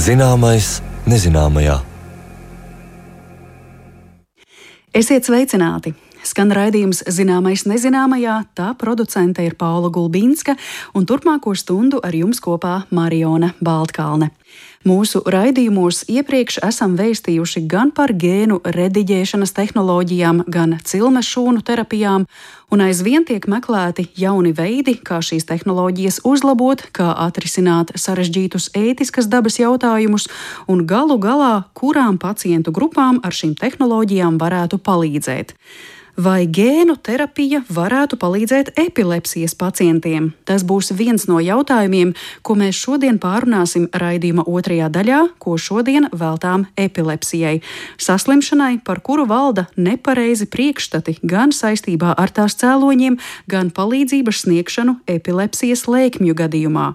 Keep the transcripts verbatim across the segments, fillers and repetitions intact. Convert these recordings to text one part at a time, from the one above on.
Zināmais nezināmajā. Esiet sveicināti! Skan raidījums Zināmais nezināmajā, tā producente ir Paula Gulbinska, un turpmāko stundu ar jums kopā Mariona Baltkalne. Mūsu raidījumos iepriekš esam vēstījuši gan par gēnu rediģēšanas tehnoloģijām, gan cilmes šūnu terapijām, un aizvien tiek meklēti jauni veidi, kā šīs tehnoloģijas uzlabot, kā atrisināt sarežģītus ētiskas dabas jautājumus, un galu galā, kurām pacientu grupām ar šīm tehnoloģijām varētu palīdzēt. Vai gēnu terapija varētu palīdzēt epilepsijas pacientiem? Tas būs viens no jautājumiem, ko mēs šodien pārunāsim raidījuma otrajā daļā, ko šodien veltām epilepsijai. Saslimšanai, par kuru valda nepareizi priekšstati gan saistībā ar tās cēloņiem, gan palīdzības sniegšanu epilepsijas lēkmju gadījumā.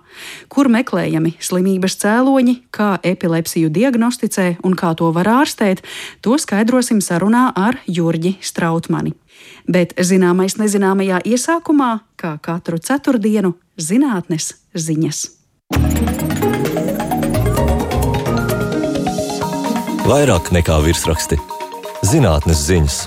Kur meklējami slimības cēloņi, kā epilepsiju diagnosticē un kā to var ārstēt, to skaidrosim sarunā ar Jurģi Strautmani. Bet zināmais nezināmajā iesākumā, kā katru ceturtdienu, zinātnes ziņas. Vairāk nekā virsraksti. Zinātnes ziņas.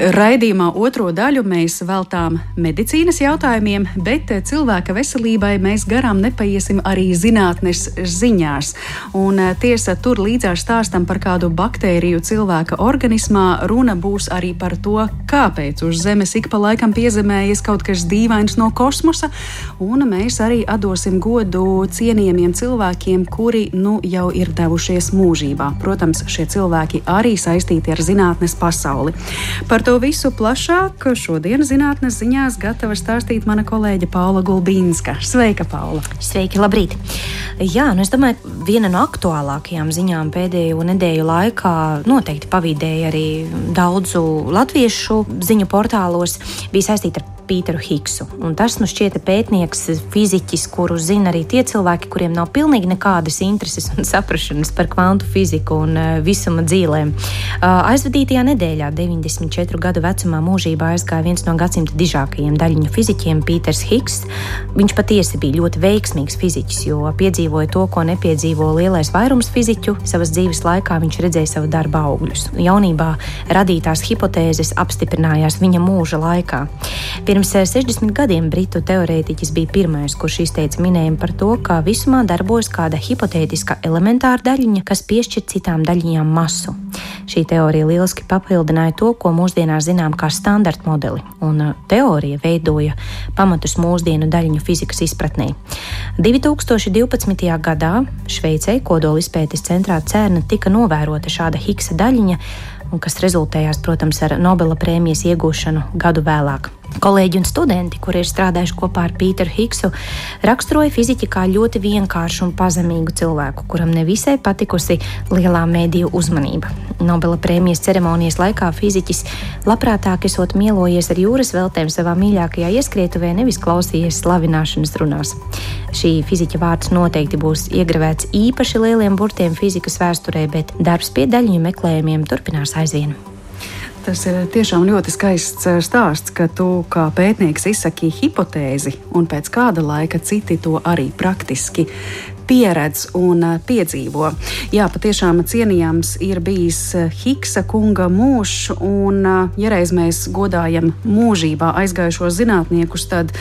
Raidījumā otro daļu mēs veltām medicīnas jautājumiem, bet cilvēka veselībai mēs garām nepaiesim arī zinātnes ziņās. Un tiesa, tur līdzās stāstam par kādu baktēriju cilvēka organismā, runa būs arī par to, kāpēc uz Zemes ik pa laikam piezemējas kaut kas dīvains no kosmosa, un mēs arī atdosim godu cienījamiem cilvēkiem, kuri nu jau ir devušies mūžībā. Protams, šie cilvēki arī saistīti ar zinātnes pasauli. Par to visu plašāk šodien zinātnes ziņās gatava stāstīt mana kolēģe Paula Gulbinska. Sveika, Paula! Sveiki, labrīt! Jā, nu es domāju, viena no aktuālākajām ziņām pēdējo nedēļu laikā noteikti pavīdēja arī daudzu latviešu ziņu portālos, bija saistīta ar Pīteru Higsu. Un tas nu šķieta pētnieks, fiziķis, kuru zina arī tie cilvēki, kuriem nav pilnīgi nekādas intereses un saprašanas par kvantu fiziku un uh, visuma dzīlēm. Uh, aizvadītajā nedēļā, deviņdesmit četru gadu vecumā, mūžībā aizgāja viens no gadsimta dižākajiem daļiņu fiziķiem, Pīters Higs. Viņš patiesi bija ļoti veiksmīgs fiziķis, jo piedzīvoja to, ko nepiedzīvo lielais vairums fiziķu. Savas dzīves laikā viņš redzēja savu darba augļus. Jaunībā radītās hipotēzes apstiprinājās viņa mūža laikā. Pirms sešdesmit gadiem britu teorētiķis bija pirmais, kurš izteica minējumu par to, ka visumā darbojas kāda hipotētiska elementāra daļiņa, kas piešķir citām daļiņām masu. Šī teorija lieliski papildināja to, ko mūsdienās zinām kā standarta modeli, un teorija veidoja pamatus mūsdienu daļiņu fizikas izpratnē. divi tūkstoši divpadsmitajā gadā Šveicē kodola izpētes centrā CERN tika novērota šāda Higsa daļiņa, un kas rezultējās, protams, ar Nobela prēmijas iegūšanu gadu vēlāk. Kolēģi un studenti, kuri ir strādājuši kopā ar Pīteru Higsu, raksturoja fiziķi kā ļoti vienkāršu un pazemīgu cilvēku, kuram nevisai patikusi lielā mēdīju uzmanība. Nobela prēmijas ceremonijas laikā fiziķis labprātāk esot mielojies ar jūras veltēm savā mīļākajā ieskrietuvē, nevis klausījies slavināšanas runās. Šī fiziķa vārds noteikti būs iegravēts īpaši lieliem burtiem fizikas vēsturē, bet darbs pie daļiņu meklējumiem turpinās aizvien. Tas ir tiešām ļoti skaists stāsts, ka tu kā pētnieks izsaki hipotēzi, un pēc kāda laika citi to arī praktiski pieredz un piedzīvo. Jā, patiešām cienījams ir bijis Higsa kunga mūžs, un ja reiz mēs godājam mūžībā aizgājušos zinātniekus, tad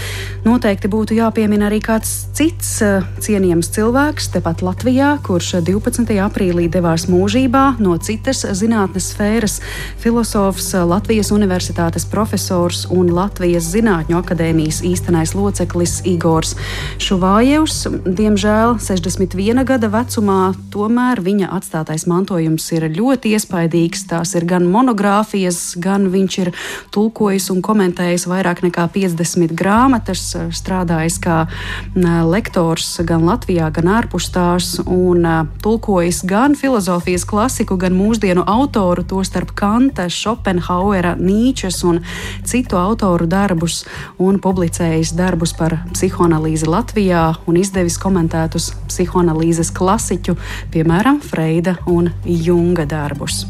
noteikti būtu jāpiemina arī kāds cits cienījams cilvēks tepat Latvijā, kurš divpadsmitajā aprīlī devās mūžībā no citas zinātnes sfēras, filosofs, Latvijas universitātes profesors un Latvijas Zinātņu akadēmijas īstenais loceklis Igors Šuvājevs. Diemžēl sešdesmit viena gada vecumā, tomēr viņa atstātais mantojums ir ļoti iespaidīgs. Tās ir gan monogrāfijas, gan viņš ir tulkojis un komentējis vairāk nekā piecdesmit grāmatas, strādājis kā lektors gan Latvijā, gan ārpus tās, un tulkojis gan filozofijas klasiku, gan mūsdienu autoru, tostarp Kanta, Šopenhauera, Nīčes un citu autoru darbus, un publicējis darbus par psihoanalīzi Latvijā un izdevis komentētus psihoanalīzes klasiķu, piemēram, Freida un Junga darbus.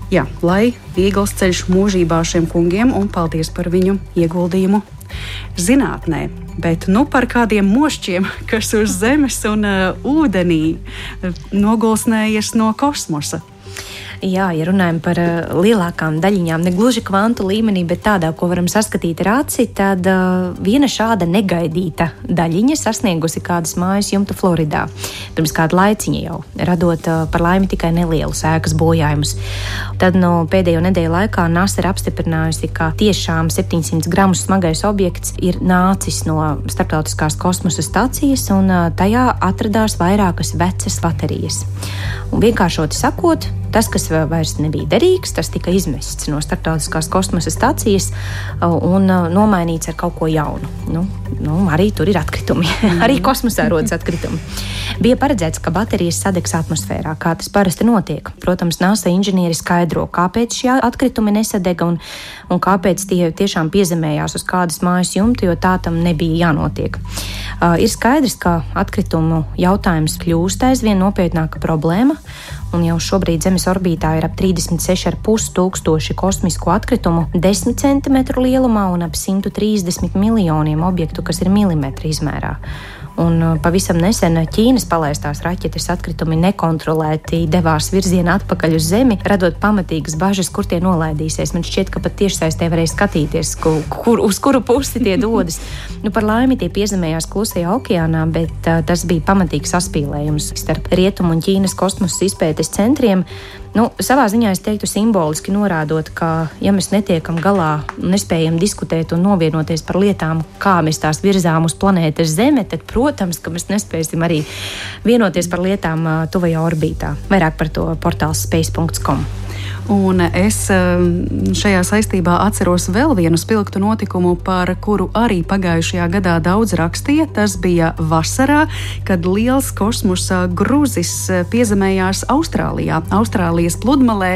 Jā, lai viegls ceļš mūžībā šiem kungiem un paldies par viņu ieguldījumu zinātnē. Bet nu par kādiem mošķiem, kas uz zemes un uh, ūdenī nogulsnējies no kosmosa. Jā, ja runājam par uh, lielākām daļiņām, ne gluži kvantu līmenī, bet tādā, ko varam saskatīt ar aci, tad uh, viena šāda negaidīta daļiņa sasniegusi kādas mājas jumtu Floridā. Pirms kāda laiciņa jau, radot uh, par laimi tikai nelielus ēkas bojājumus. Tad no pēdējo nedēļu laikā NASA ir apstiprinājusi, ka tiešām septiņsimt gramu smagais objekts ir nācis no starptautiskās kosmosa stacijas, un uh, tajā atradās vairākas vecas baterijas. Un vienkāršoti sakot, tas, kas vairs nebija derīgs, tas tika izmests no starptautiskās kosmosa stacijas un nomainīts ar kaut ko jaunu. Nu, nu, arī tur ir atkritumi. Arī kosmosā rodas atkritumi. Bija paredzēts, ka baterijas sadegs atmosfērā, kā tas parasti notiek. Protams, NASA inženieri skaidro, kāpēc šie atkritumi nesadega un, un kāpēc tie tiešām piezemējās uz kādas mājas jumta, jo tā tam nebija jānotiek. Uh, ir skaidrs, ka atkritumu jautājums kļūst aizvien nopietnāka problēma. Un jau šobrīd Zemes orbītā ir ap trīsdesmit seši ar pus tūkstoši kosmisko atkritumu desmit centimetru lielumā un ap simt trīsdesmit miljoniem objektu, kas ir milimetri izmērā. Un pavisam nesen Ķīnas palaistās raķetes atkritumi nekontrolēti devās virzienā atpakaļ uz Zemi, radot pamatīgas bažas, kur tie nolaidīsies. Man šķiet, ka pat tiešsaistē varēja skatīties, kur, kur, uz kuru pusi tie dodas. Nu, par laimi tie piezemējās Klusajā okeānā, bet uh, tas bija pamatīgs saspīlējums starp Rietumu un Ķīnas kosmosa izpētes centriem. Nu, savā ziņā es teiktu simboliski norādot, ka ja mēs netiekam galā, nespējam diskutēt un novienoties par lietām, kā mēs tās virzām uz planētas Zeme, tad, protams, ka mēs nespēsim arī vienoties par lietām tuvajā orbītā. Vairāk par to portāls space dot com. Un es šajā saistībā atceros vēl vienu spilgtu notikumu, par kuru arī pagājušajā gadā daudz rakstīja. Tas bija vasarā, kad liels kosmosa gruzis piezemējās Austrālijā, Austrālijas pludmalē,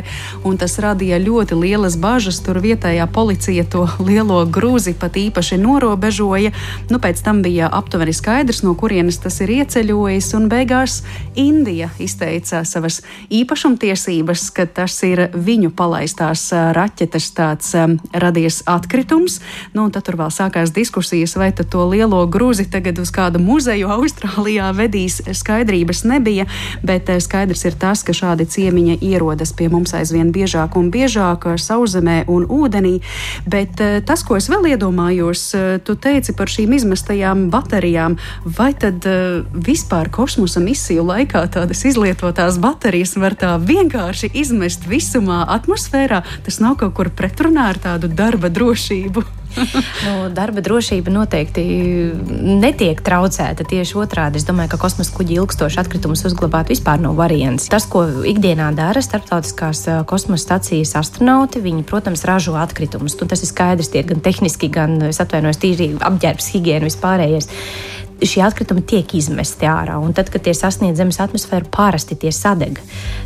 un tas radīja ļoti lielas bažas. Tur vietējā policija to lielo gruzi pat īpaši norobežoja. Nu, pēc tam bija aptuveni skaidrs, no kurienes tas ir ieceļojis, un beigās Indija izteica savas īpašumtiesības, ka tas ir viņu palaistās raķetes tāds um, radies atkritums. Nu, un tad tur vēl sākās diskusijas, vai tad to lielo gruzi tagad uz kādu muzeju Austrālijā vedīs. Skaidrības nebija, bet skaidrs ir tas, ka šādi ciemiņi ierodas pie mums aizvien biežāk un biežāk sauszemē un ūdenī. Bet tas, ko es vēl iedomājos, tu teici par šīm izmestajām baterijām, vai tad uh, vispār kosmosa misiju laikā tādas izlietotās baterijas var tā vienkārši izmest visumā atmosfērā? Tas nav kaut kur pretrunā ar tādu darba drošību? Nu, darba drošība noteikti netiek traucēta. Tieši otrādi. Es domāju, ka kosmosa kuģi ilgstoši atkritumus uzglabāt vispār nav variants. Tas, ko ikdienā dara starptautiskās kosmosa stacijas astronauti, viņi, protams, ražo atkritumus. Un tas ir skaidrs, tie gan tehniski, gan, es atvainojos, tīri apģērbs, higiēna, vispārējais. Šie atkritumi tiek izmesti ārā, un tad, kad tie sasniedz Zemes atmosfēru, parasti tie sadeg.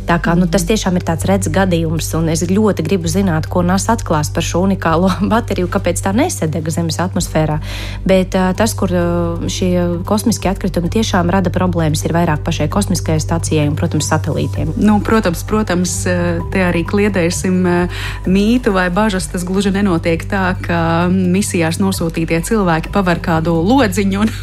Tā kā nu, tas tiešām ir tāds redz gadījums, un es ļoti gribu zināt, ko NASA atklās par šo unikālo bateriju, kāpēc tā nesadega Zemes atmosfērā. Bet uh, tas, kur uh, šie kosmiskie atkritumi tiešām rada problēmas, ir vairāk pašai kosmiskajai stacijai un, protams, satelītiem. Nu, protams, protams, te arī kliedēsim mītu vai bažas. Tas gluži nenotiek tā, ka misijās nosūtītie cilvēki paver kādu lodziņu un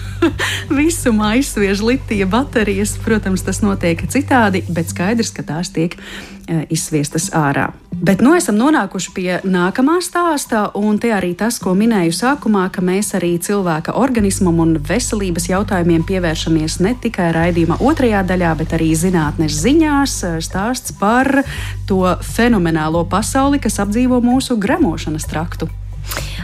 visumā izsviež litija baterijas. Protams, tas notiek citādi, bet skaidrs, ka tās tiek e, izsviestas ārā. Bet nu esam nonākuši pie nākamā stāstā, un te arī tas, ko minēju sākumā, ka mēs arī cilvēka organismam un veselības jautājumiem pievēršamies ne tikai raidījuma otrajā daļā, bet arī zinātnes ziņās. Stāsts par to fenomenālo pasauli, kas apdzīvo mūsu gremošanas traktu.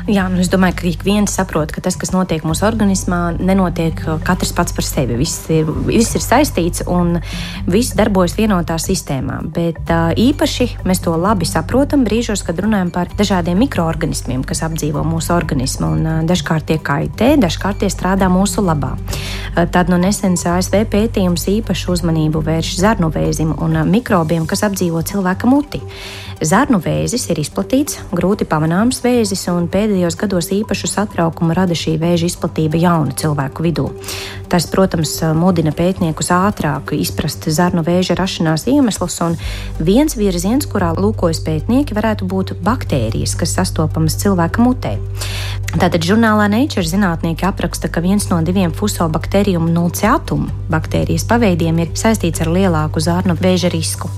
Jā, nu es domāju, ka ik viens saprot, ka tas, kas notiek mūsu organismā, nenotiek katrs pats par sevi. Viss ir, viss ir saistīts un viss darbojas vienotā sistēmā. Bet uh, īpaši mēs to labi saprotam brīžos, kad runājam par dažādiem mikroorganismiem, kas apdzīvo mūsu organismu. Un, uh, dažkārt tie kaitē, dažkārt tie strādā mūsu labā. Uh, tad no nesens A S V pētījums īpašu uzmanību vērš zarnuvēzim un uh, mikrobiem, kas apdzīvo cilvēka muti. Zarnuvēzis ir izplatīts, grūti pamanāms vēzis, un pēdējā pēdējos gados īpašu satraukumu rada šī vēža izplatība jaunu cilvēku vidū. Tas, protams, mudina pētniekus ātrāk izprast zarnu vēža rašanās iemeslus, un viens virziens, kurā lūkojas pētnieki, varētu būt baktērijas, kas sastopamas cilvēka mutē. Tātad žurnālā Nature zinātnieki apraksta, ka viens no diviem Fusobacterium nunciatum baktērijas paveidiem ir saistīts ar lielāku zarnu vēža risku.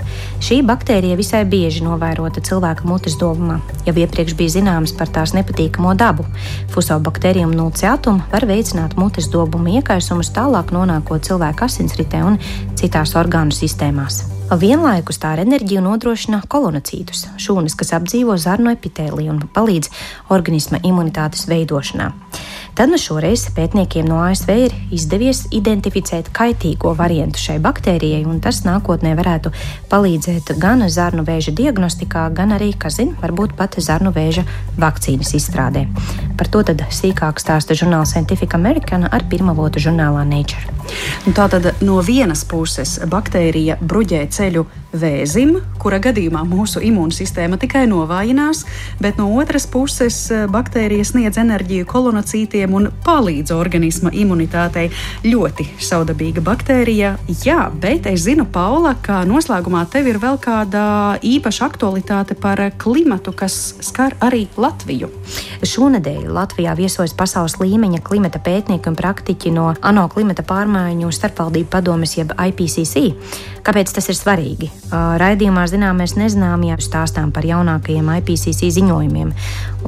Šī baktērija visai bieži novērota cilvēka mutes dobumā. Jau iepriekš bija zināms par tās nepatīkamo dabu. Fusobacterium nunciatum var veicināt mutes dobumu iekaisumus, tālāk nonākot cilvēka asinsritē un citās orgānu sistēmās. Vienlaikus tā ar enerģiju nodrošina kolonocītus, šūnas, kas apdzīvo zarnu epitēliju un palīdz organisma imunitātes veidošanā. Tad nu šoreiz pētniekiem no A S V ir izdevies identificēt kaitīgo variantu šai baktērijai, un tas nākotnē varētu palīdzēt gan zarnu vēža diagnostikā, gan arī, kas zina, varbūt pat zarnu vēža vakcīnas izstrādē. Par to tad sīkāk stāsta žurnāla Scientific American ar pirmavotu žurnālā Nature. Tātad no vienas puses baktērija bruģē ceļu vēzim, kura gadījumā mūsu imūnsistēma tikai novājinās, bet no otras puses baktērija sniedz enerģiju kolonocītiem un palīdz organisma imunitātei. Ļoti saudabīga baktērija. Jā, bet es zinu, Paula, ka noslēgumā tev ir vēl kāda īpaša aktualitāte par klimatu, kas skar arī Latviju. Šonedēļ Latvijā viesojas pasaules līmeņa klimata pētnieki un praktiķi no ANO klimata pārmaiņu starpvaldību padomes jeb I P C C. Kāpēc tas ir svarīgi? Raidījumā zinām, mēs nezinām, ja stāstām par jaunākajiem I P C C ziņojumiem.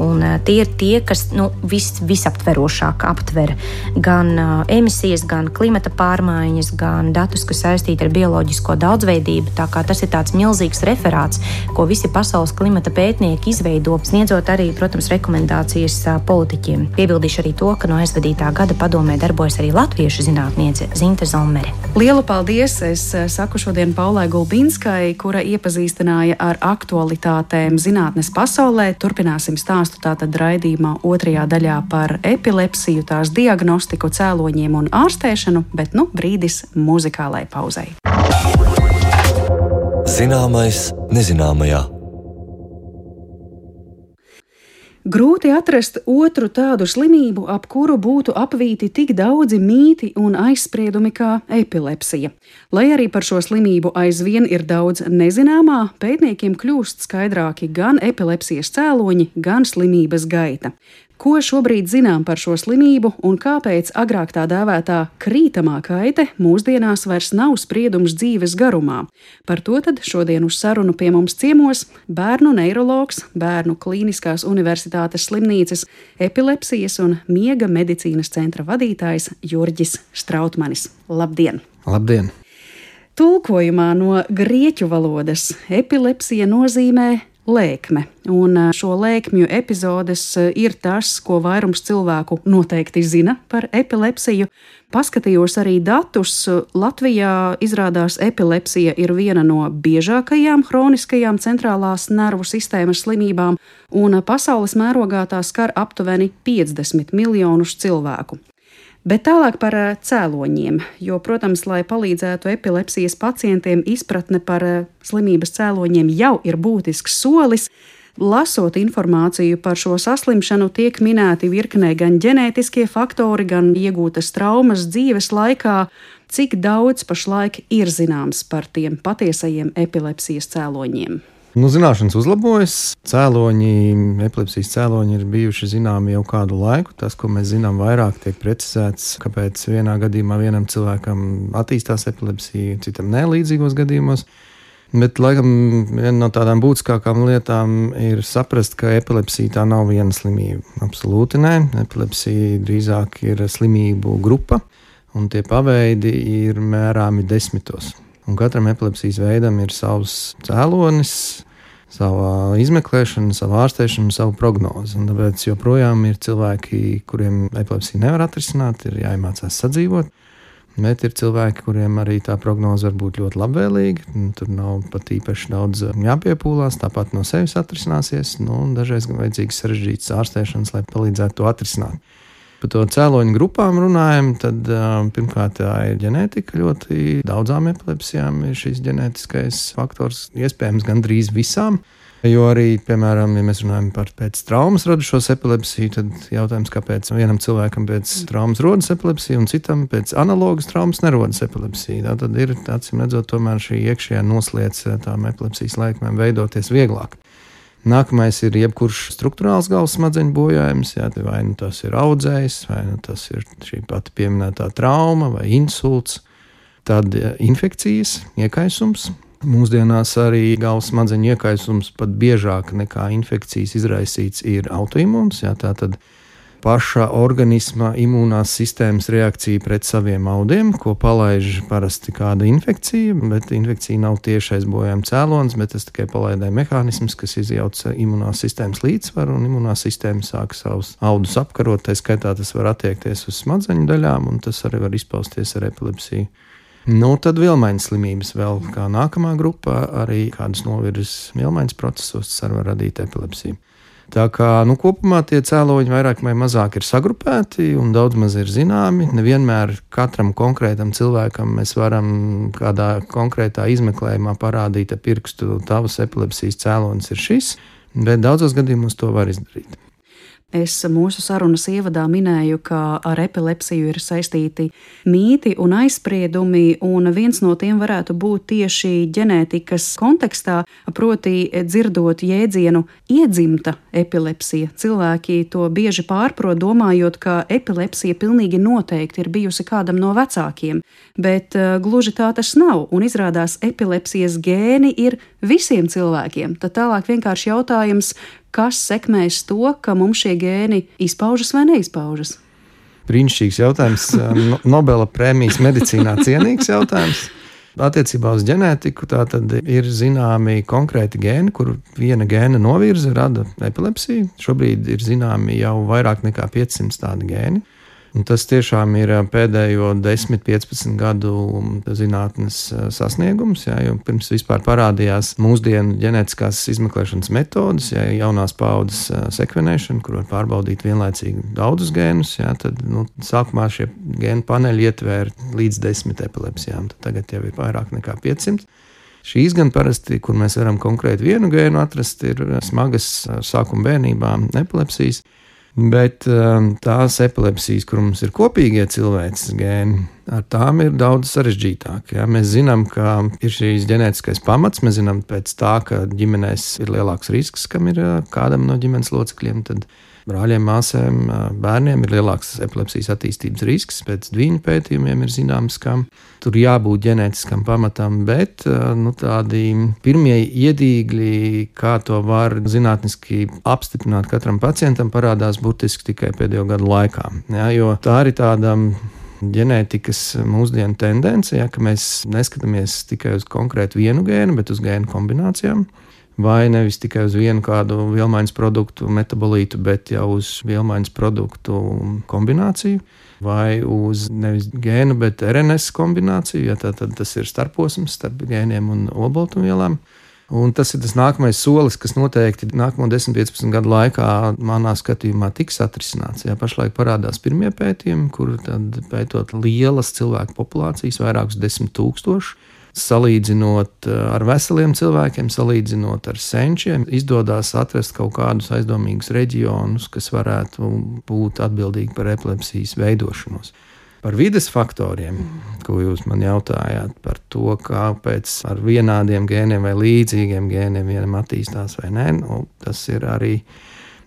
Un tie ir tie, kas nu, vis, visaptverošāk aptver gan uh, emisijas, gan klimata pārmaiņas, gan datus, kas saistīti ar bioloģisko daudzveidību. Tā kā tas ir tāds milzīgs referāts, ko visi pasaules klimata pētnieki izveido, sniedzot arī, protams, rekomendācijas uh, politiķiem. Piebildīšu arī to, ka no aizvadītā gada padomē darbojas arī latviešu zinātniece Zinte Zomere. Lielu paldies! Es saku šodien Paulai Gulbinskai, kura iepazīstināja ar aktualitātēm zinātnes pasaulē. Turpināsim stāstu tātad raidījumā otrajā daļā par epilepsiju, tās diagnostiku, cēloņiem un ārstēšanu, bet nu brīdis muzikālai pauzei. Zināmais nezināmajā. Grūti atrast otru tādu slimību, ap kuru būtu apvīti tik daudzi mīti un aizspriedumi kā epilepsija. Lai arī par šo slimību aizvien ir daudz nezināmā, pētniekiem kļūst skaidrāki gan epilepsijas cēloņi, gan slimības gaita. Ko šobrīd zinām par šo slimību un kāpēc agrāk tā dēvētā krītamā kaite mūsdienās vairs nav spriedums dzīves garumā? Par to tad šodien uz sarunu pie mums ciemos bērnu neiroloģis, Bērnu Klīniskās Universitātes slimnīcas epilepsijas un miega medicīnas centra vadītājs Jurģis Strautmanis. Labdien! Labdien! Tulkojumā no grieķu valodas epilepsija nozīmē lēkme, un šo lēkmju epizodes ir tas, ko vairums cilvēku noteikti zina par epilepsiju. Paskatījos arī datus. Latvijā izrādās epilepsija ir viena no biežākajām hroniskajām centrālās nervu sistēmas slimībām, un pasaules mērogā tā skar aptuveni piecdesmit miljonus cilvēku. Bet tālāk par cēloņiem, jo, protams, lai palīdzētu epilepsijas pacientiem, izpratne par slimības cēloņiem jau ir būtisks solis. Lasot informāciju par šo saslimšanu, tiek minēti virknē gan ģenētiskie faktori, gan iegūtas traumas dzīves laikā. Cik daudz pašlaik ir zināms par tiem patiesajiem epilepsijas cēloņiem? Nu, zināšanas uzlabojas. Cēloņi, epilepsijas cēloņi ir bijuši zināmi jau kādu laiku. Tas, ko mēs zinām vairāk, tiek precizēts, kāpēc vienā gadījumā vienam cilvēkam attīstās epilepsija, citam ne līdzīgos gadījumos. Bet, laikam, viena no tādām būtiskākām lietām ir saprast, ka epilepsija tā nav viena slimība. Absolūti nē. Epilepsija drīzāk ir slimību grupa, un tie paveidi ir mērāmi desmitos. Un katram epilepsijas veidam ir savs cēlonis, sava izmeklēšana, sava ārstēšana, sava prognoze. Un tāpēc joprojām ir cilvēki, kuriem epilepsija nevar atrisināt, ir jāiemācās sadzīvot. Bet ir cilvēki, kuriem arī tā prognoze var būt ļoti labvēlīga. Tur nav pat īpaši daudz jāpiepūlās, tāpat no sevis atrisināsies. Nu, dažreiz gan vajadzīgs sarežģīts ārstēšanas, lai palīdzētu to atrisināt. Par to cēloņu grupām runājam, tad pirmkārt tā ir ģenētika. Ļoti daudzām epilepsijām ir šis ģenētiskais faktors, iespējams gandrīz visām. Jo arī, piemēram, ja mēs runājam par pēc traumas radušos epilepsiju, tad jautājums, kāpēc vienam cilvēkam pēc traumas rodas epilepsija un citam pēc analogas traumas nerodas epilepsija. Tā tad ir, acīm redzot, tomēr šī iekšējā noslēdz tām epilepsijas laikmēm veidoties vieglāk. Nākamais ir jebkurš struktūrāls galvas smadzeņu bojājums, jā, vai nu tas ir audzējs, vai nu tas ir šī pati pieminētā trauma vai insults, tad infekcijas, iekaisums. Mūsdienās arī galvas smadzeņu iekaisums pat biežāk nekā infekcijas izraisīts ir autoimūns. Jā, tā tad paša organisma imūnās sistēmas reakcija pret saviem audiem, ko palaiž parasti kāda infekcija, bet infekcija nav tiešais bojājuma cēlonis, bet tas tikai palaidē mehānisms, kas izjauc imūnās sistēmas līdzsvaru, un imūnās sistēma sāk savus audus apkarot. Tā skaitā tas var attiekties uz smadzeņu daļām, un tas arī var izpausties ar epilepsiju. Nu, tad vielmaiņas slimības vēl kā nākamā grupā, arī kādas novirzes vielmaiņas procesos, tas arī var radīt epilepsiju. Tā kā nu, kopumā tie cēloņi vairāk vai mazāk ir sagrupēti un daudz maz ir zināmi. Nevienmēr katram konkrētam cilvēkam mēs varam kādā konkrētā izmeklējumā parādīt ar pirkstu, tavas epilepsijas cēlonis ir šis, bet daudzos gadījumos to var izdarīt. Es mūsu sarunas ievadā minēju, ka ar epilepsiju ir saistīti mīti un aizspriedumi, un viens no tiem varētu būt tieši ģenētikas kontekstā, proti dzirdot jēdzienu iedzimta epilepsija. Cilvēki to bieži pārprot, domājot, ka epilepsija pilnīgi noteikti ir bijusi kādam no vecākiem, bet uh, gluži tā tas nav, un izrādās epilepsijas gēni ir visiem cilvēkiem. Tad tālāk vienkārši jautājums, kas sekmēs to, ka mums šie gēni izpaužas vai neizpaužas? Brīnišķīgs jautājums, Nobela prēmijas medicīnā cienīgs jautājums. Attiecībā uz ģenētiku tā tad ir zināmi konkrēti gēni, kur viena gēna novirze rada epilepsiju. Šobrīd ir zināmi jau vairāk nekā piecsimt tādi gēni. Un tas tiešām ir pēdējo desmit, piecpadsmit gadu zinātnes sasniegums, jā, jo pirms vispār parādījās mūsdienu ģenētiskās izmeklēšanas metodas, jā, jaunās paaudzes sekvenēšana, kur var pārbaudīt vienlaicīgi daudzus gēnus, jā, tad nu, sākumā šie gēnu paneļi ietvēra līdz desmit epilepsijām, tad tagad jau ir vairāk nekā piecsimt. Šīs gan parasti, kur mēs varam konkrēti vienu gēnu atrast, ir smagas sākuma bērnībā epilepsijas. Bet tās epilepsijas, kur mums ir kopīgie cilvēces gēni, ar tām ir daudz sarežģītāk. Ja? Mēs zinām, ka ir šīs ģenētiskais pamats, mēs zinām pēc tā, ka ģimenēs ir lielāks risks, kam ir kādam no ģimenes locekļiem, tad brāļiem, māsēm, bērniem ir lielāks epilepsijas attīstības risks. Pēc viņu pētījumiem ir zināms, ka tur jābūt ģenētiskam pamatam, bet nu, tādi pirmie iedīgļi, kā to var zinātniski apstiprināt katram pacientam, parādās burtiski tikai pēdējo gadu laikā. Ja, jo tā ir tāda ģenētikas mūsdienu tendence, ja, ka mēs neskatāmies tikai uz konkrētu vienu gēnu, bet uz gēnu kombinācijām. Vai nevis tikai uz vienu kādu vielmaiņas produktu metabolītu, bet jau uz vielmaiņas produktu kombināciju, vai uz nevis gēnu, bet R N S kombināciju, ja tā, tad tas ir starposms starp gēniem un olbaltumvielām. Un tas ir tas nākamais solis, kas noteikti nākamo desmit, piecpadsmit gadu laikā manā skatījumā tiks atrisināts. Ja pašlaik parādās pirmie pētījumi, kur tad pētot lielas cilvēku populācijas, vairākus desmit tūkstoši, salīdzinot ar veseliem cilvēkiem, salīdzinot ar senčiem, izdodas atrast kaut kādus aizdomīgus reģionus, kas varētu būt atbildīgi par epilepsijas veidošanos. Par vides faktoriem, ko jūs man jautājāt, par to, kāpēc ar vienādiem gēniem vai līdzīgiem gēniem vienam attīstās vai nē, nu, tas ir arī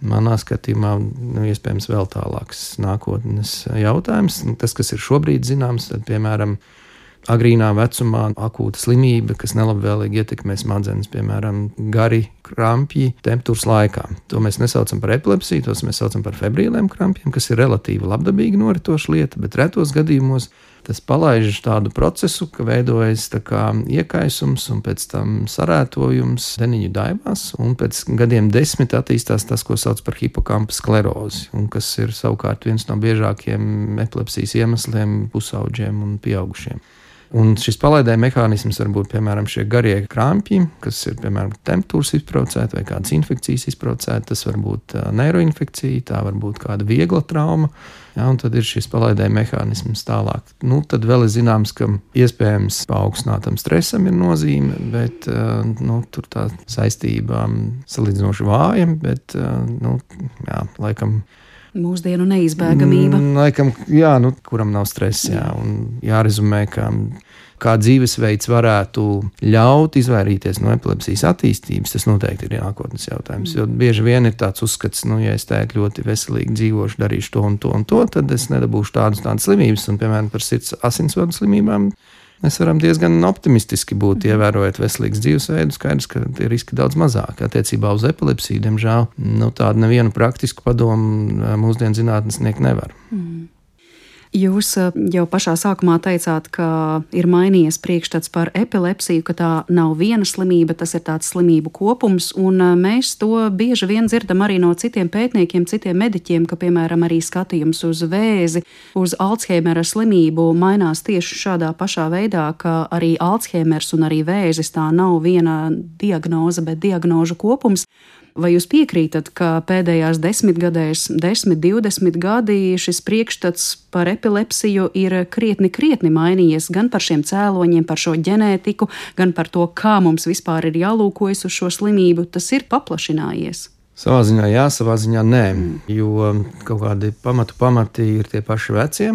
manā skatījumā nu, iespējams vēl tālāks nākotnes jautājums. Tas, kas ir šobrīd zināms, tad, piemēram, agrīnā vecumā akūta slimība, kas nelabvēlīgi ietekmē smadzenes, piemēram, gari krampji temperatūras laikā. To mēs nesaucam par epilepsiju, tos mēs saucam par febrīliem krampjiem, kas ir relatīvi labdabīgi noritoša lieta, bet retos gadījumos tas palaiž tādu procesu, ka veidojas tā kā iekaisums un pēc tam sarētojums deniņu daivās, un pēc gadiem desmit attīstās tas, ko sauc par hipokampa sklerozi, un kas ir savukārt viens no biežākiem epilepsijas iemesliem pusauģiem un pieaugušiem. Un šis palaidēja mehānisms var būt, piemēram, šie garie krampji, kas ir, piemēram, temperatūras izbraucēta vai kādas infekcijas izbraucēta. Tas var būt neiroinfekcija, tā var būt kāda viegla trauma. Ja, un tad ir šis palaidēja mehānisms tālāk. Nu, tad vēl ir zināms, ka iespējams paaugstinātam stresam ir nozīme, bet nu, tur tā saistība salīdzinoši vāja, bet nu, jā, laikam. Mūsdienu neizbēgamība. Mm, laikam, jā, nu, kuram nav stress, jā, un jārezumē, ka kā dzīvesveids varētu ļaut izvairīties no epilepsijas attīstības, tas noteikti ir nākotnes jautājums, jo bieži vien ir tāds uzskats, nu, ja es tēt ļoti veselīgi dzīvošu, darīšu to un to un to, tad es nedabūšu tādas tādas slimības, un, piemēram, par sirds asinsvadu slimībām mēs varam diezgan optimistiski būt, ievērojot veselīgs dzīvesveidu, skaidrs, ka tie riski daudz mazāk. Attiecībā uz epilepsiju, diemžēl, nu, tādu nevienu praktisku padomu mūsdienu zinātnesnieki nevar. Mm. Jūs jau pašā sākumā teicāt, ka ir mainījies priekšstats par epilepsiju, ka tā nav viena slimība, tas ir tāds slimību kopums, un mēs to bieži vien dzirdam arī no citiem pētniekiem, citiem mediķiem, ka, piemēram, arī skatījums uz vēzi, uz Alzheimera slimību mainās tieši šādā pašā veidā, ka arī Alzheimers un arī vēzis tā nav viena diagnoze, bet diagnožu kopums. Vai jūs piekrītat, ka pēdējās desmitgadēs, desmit, divdesmit gadi šis priekšstats par epilepsiju ir krietni, krietni mainījies gan par šiem cēloņiem, par šo ģenētiku, gan par to, kā mums vispār ir jālūkojas uz šo slimību, tas ir paplašinājies? Savā ziņā jā, savā ziņā nē, jo kaut kādi pamatu pamati ir tie paši vecie.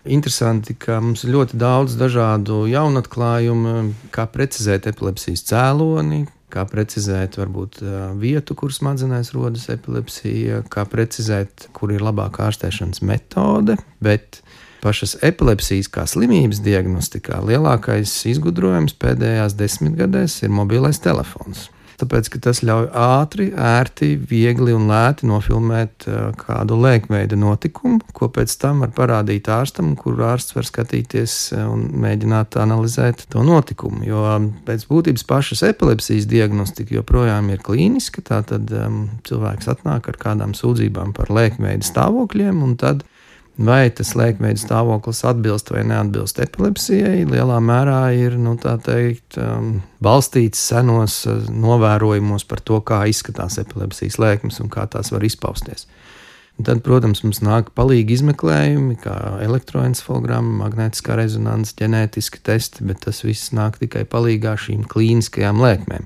Interesanti, ka mums ir ļoti daudz dažādu jaunatklājumu, kā precizēt epilepsijas cēloni, kā precizēt varbūt vietu, kur smadzenēs rodas epilepsija, kā precizēt, kur ir labākā ārstēšanas metode, bet pašas epilepsijas kā slimības diagnostikā lielākais izgudrojums pēdējās desmitgadēs ir mobilais telefons. Tāpēc, ka tas ļauj ātri, ērti, viegli un lēti nofilmēt kādu lēkveida notikumu, ko pēc tam var parādīt ārstam, kur ārsts var skatīties un mēģināt analizēt to notikumu. Jo pēc būtības pašas epilepsijas diagnostika joprojām ir klīniska, tātad um, cilvēks atnāk ar kādām sūdzībām par lēkveida stāvokļiem, un tad vai tas lēkveida stāvoklis atbilst vai neatbilst epilepsijai, lielā mērā ir, nu, tā teikt, um, balstīts senos uh, novērojumos par to, kā izskatās epilepsijas lēkmes un kā tās var izpausties. Un tad, protams, mums nāk palīgi izmeklējumi, kā elektroencefalogramma, magnētiskā rezonanse, ģenētiski testi, bet tas viss nāk tikai palīgā šīm klīniskajām lēkmēm.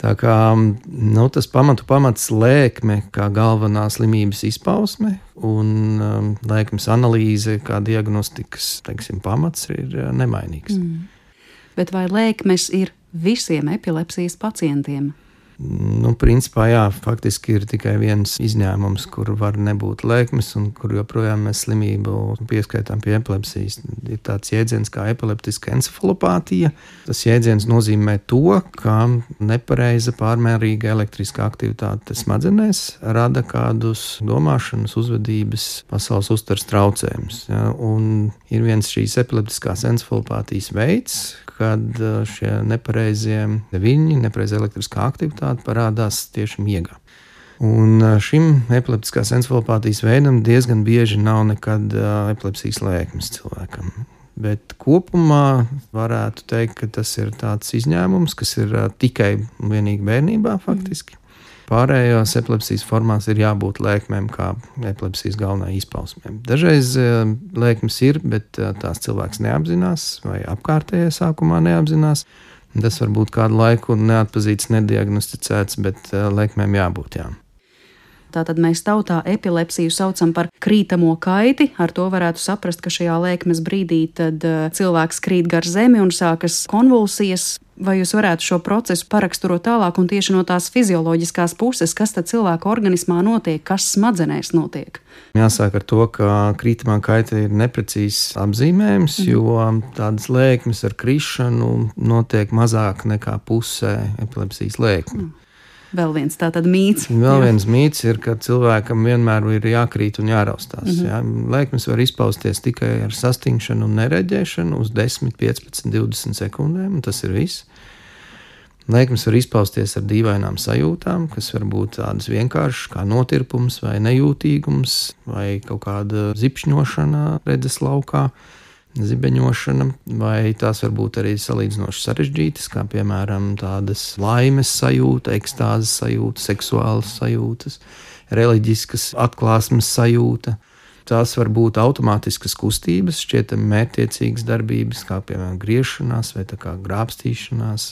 Tā kā nu, tas pamatu pamats lēkme kā galvenā slimības izpausme un um, lēkmes analīze kā diagnostikas, teiksim, pamats ir uh, nemainīgs. Mm. Bet vai lēkmes ir visiem epilepsijas pacientiem? Nu, principā, jā, faktiski ir tikai viens izņēmums, kur var nebūt lēkmes un kur joprojām mēs slimību pieskaitām pie epilepsijas. Ir tāds jēdziens kā epileptiska encefalopātija. Tas jēdziens nozīmē to, ka nepareiza pārmērīga elektriskā aktivitāte smadzenēs rada kādus domāšanas, uzvedības, pasaules uztveres traucējumus. Ja? Un ir viens šīs epileptiskās encefalopātijas veids, kad šie nepareizie viļņi, nepareiza elektriskā aktivitāte parādās tieši miegā. Un šim epileptiskās encefalopātijas veidam diezgan bieži nav nekad epilepsijas lēkmes cilvēkam. Bet kopumā varētu teikt, ka tas ir tāds izņēmums, kas ir tikai un vienīgi bērnībā faktiski. Pārējās epilepsijas formās ir jābūt lēkmēm kā epilepsijas galvenai izpausmēm. Dažreiz lēkmes ir, bet tās cilvēks neapzinās vai apkārtējie sākumā neapzinās. Tas var būt kādu laiku neatpazīts, nediagnosticēts, bet lēkmēm jābūt, jā. Tātad mēs tautā epilepsiju saucam par krītamo kaiti. Ar to varētu saprast, ka šajā lēkmes brīdī tad cilvēks krīt gar zemi un sākas konvulsijas. Vai jūs varētu šo procesu paraksturot tālāk un tieši no tās fizioloģiskās puses, kas tad cilvēka organismā notiek, kas smadzenēs notiek? Jāsāk ar to, ka krītamā kaita ir neprecīzs apzīmējums, mm. jo tādas lēkmes ar krišanu notiek mazāk nekā pusē epilepsijas lēkme. Mm. Vēl viens tātad mīts. Vēl viens mīts ir, ka cilvēkam vienmēr ir jākrīt un jāraustās. Mm-hmm. Jā. Lēkmes var izpausties tikai ar sastingšanu un nereģēšanu uz desmit, piecpadsmit, divdesmit sekundēm, un tas ir viss. Lēkmes var izpausties ar dīvainām sajūtām, kas var būt tādas vienkāršas kā notirpums vai nejūtīgums vai kaut kāda zipšņošana redzes laukā. zibeņošana, vai tās var būt arī salīdzinoši sarežģītas, kā piemēram tādas laimes sajūta, ekstāzes sajūta, seksuālas sajūtas, reliģiskas atklāsmes sajūta. Tās var būt automātiskas kustības, šķietami mērķtiecīgas darbības, kā piemēram griešanās vai tā kā grābstīšanās.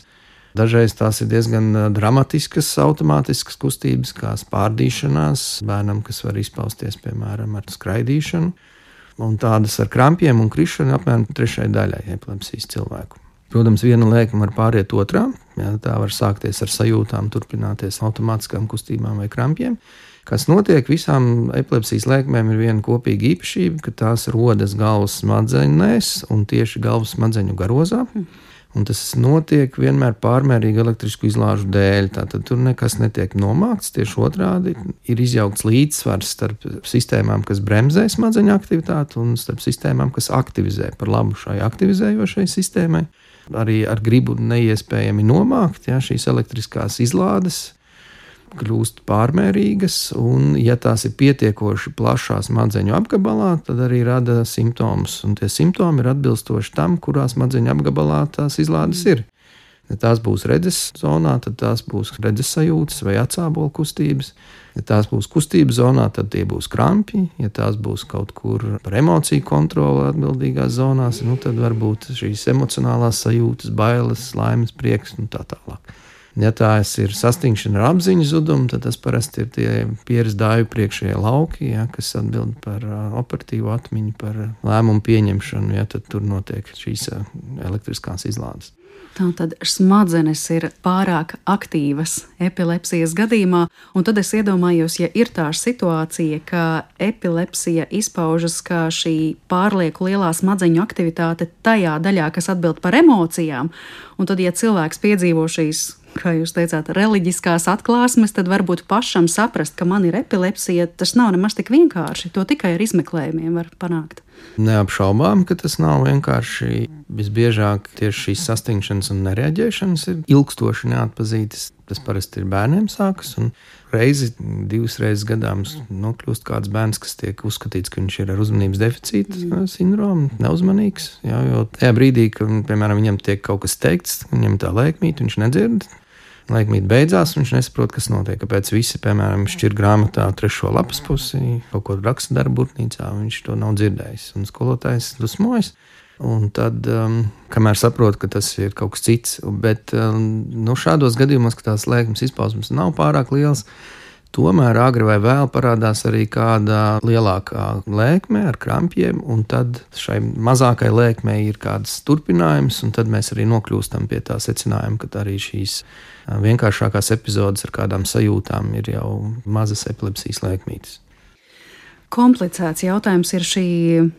Dažreiz tās ir diezgan dramatiskas automātiskas kustības, kā spārdīšanās bērnam, kas var izpausties piemēram ar skraidīšanu. Un tādas ar krampjiem un krišanu apmēram trešai daļai epilepsijas cilvēku. Protams, viena lēkme var pāriet otrā, jā, tā var sākties ar sajūtām, turpināties automātiskām kustībām vai krampjiem. Kas notiek, visām epilepsijas lēkmēm ir viena kopīga īpašība, ka tās rodas galvas smadzenēs un tieši galvas smadzeņu garozā. Un tas notiek vienmēr pārmērīgu elektrisku izlāžu dēļ. Tātad tur nekas netiek nomākts, tieši otrādi ir izjaukts līdzsvars starp sistēmām, kas bremzē smadzeņu aktivitāti, un starp sistēmām, kas aktivizē par labu šai aktivizējošai sistēmai. Arī ar gribu neiespējami nomākt, ja, šīs elektriskās izlādes kļūst pārmērīgas, un ja tās ir pietiekoši plašā smadzeņu apgabalā, tad arī rada simptomus, un tie simptomi ir atbilstoši tam, kurā smadzeņu apgabalā tās izlādes ir. Ja tās būs redzes zonā, tad tās būs redzes sajūtas vai atsābola kustības. Ja tās būs kustības zonā, tad tie būs krampji. Ja tās būs kaut kur par emociju kontroli atbildīgās zonās, nu tad varbūt šīs emocionālās sajūtas, bailes, laimes, prieks un tā tālāk. Ja tās ir sastingšana ar apziņu zudumu, tad tas parasti ir tie pieres dāju priekšējie lauki, ja, kas atbild par operatīvu atmiņu, par lēmumu pieņemšanu, ja, tad tur notiek šīs elektriskās izlādes. Tātad smadzenes ir pārāk aktīvas epilepsijas gadījumā, un tad es iedomājos, ja ir tā situācija, ka epilepsija izpaužas kā šī pārlieku lielā smadzeņu aktivitāte tajā daļā, kas atbild par emocijām, un tad, ja cilvēks piedzīvo šīs, kā jūs teicāt, reliģiskās atklāsmes, tad varbūt pašam saprast, ka man ir epilepsija, tas nav nemaz tik vienkārši, to tikai ar izmeklējumiem var panākt. Neapšaubām, ka tas nav vienkārši. Visbiežāk tieši šīs sastingšanas un nereaģēšanas ir ilgstoši neatpazītas. Tas parasti ir bērniem sākas, un reizi, divas reizes gadā mums nokļūst kāds bērns, kas tiek uzskatīts, ka viņš ir ar uzmanības deficīta sindromu, neuzmanīgs. Jā, jo tajā brīdī, kad, piemēram, viņam tiek kaut kas teikts, viņam tā lēkmīte, viņš nedzird. Lēkmīte beidzās, viņš nesaprot, kas notiek. Kāpēc visi, piemēram, šķir grāmatā trešo lapas pusi, kaut ko raksta darba burtnīcā, viņš to nav dzirdējis. Un skolotājs dusmojas. Un tad, um, kamēr saprot, ka tas ir kaut kas cits, bet um, nu, šādos gadījumos, ka tās lēkmes izpausmes nav pārāk liels, tomēr agri vai vēl parādās arī kāda lielākā lēkme ar krampjiem, un tad šai mazākai lēkmei ir kāds turpinājums, un tad mēs arī nokļūstam pie tā secinājuma, ka arī šīs vienkāršākās epizodes ar kādām sajūtām ir jau mazas epilepsijas lēkmītes. Komplicēts jautājums ir šī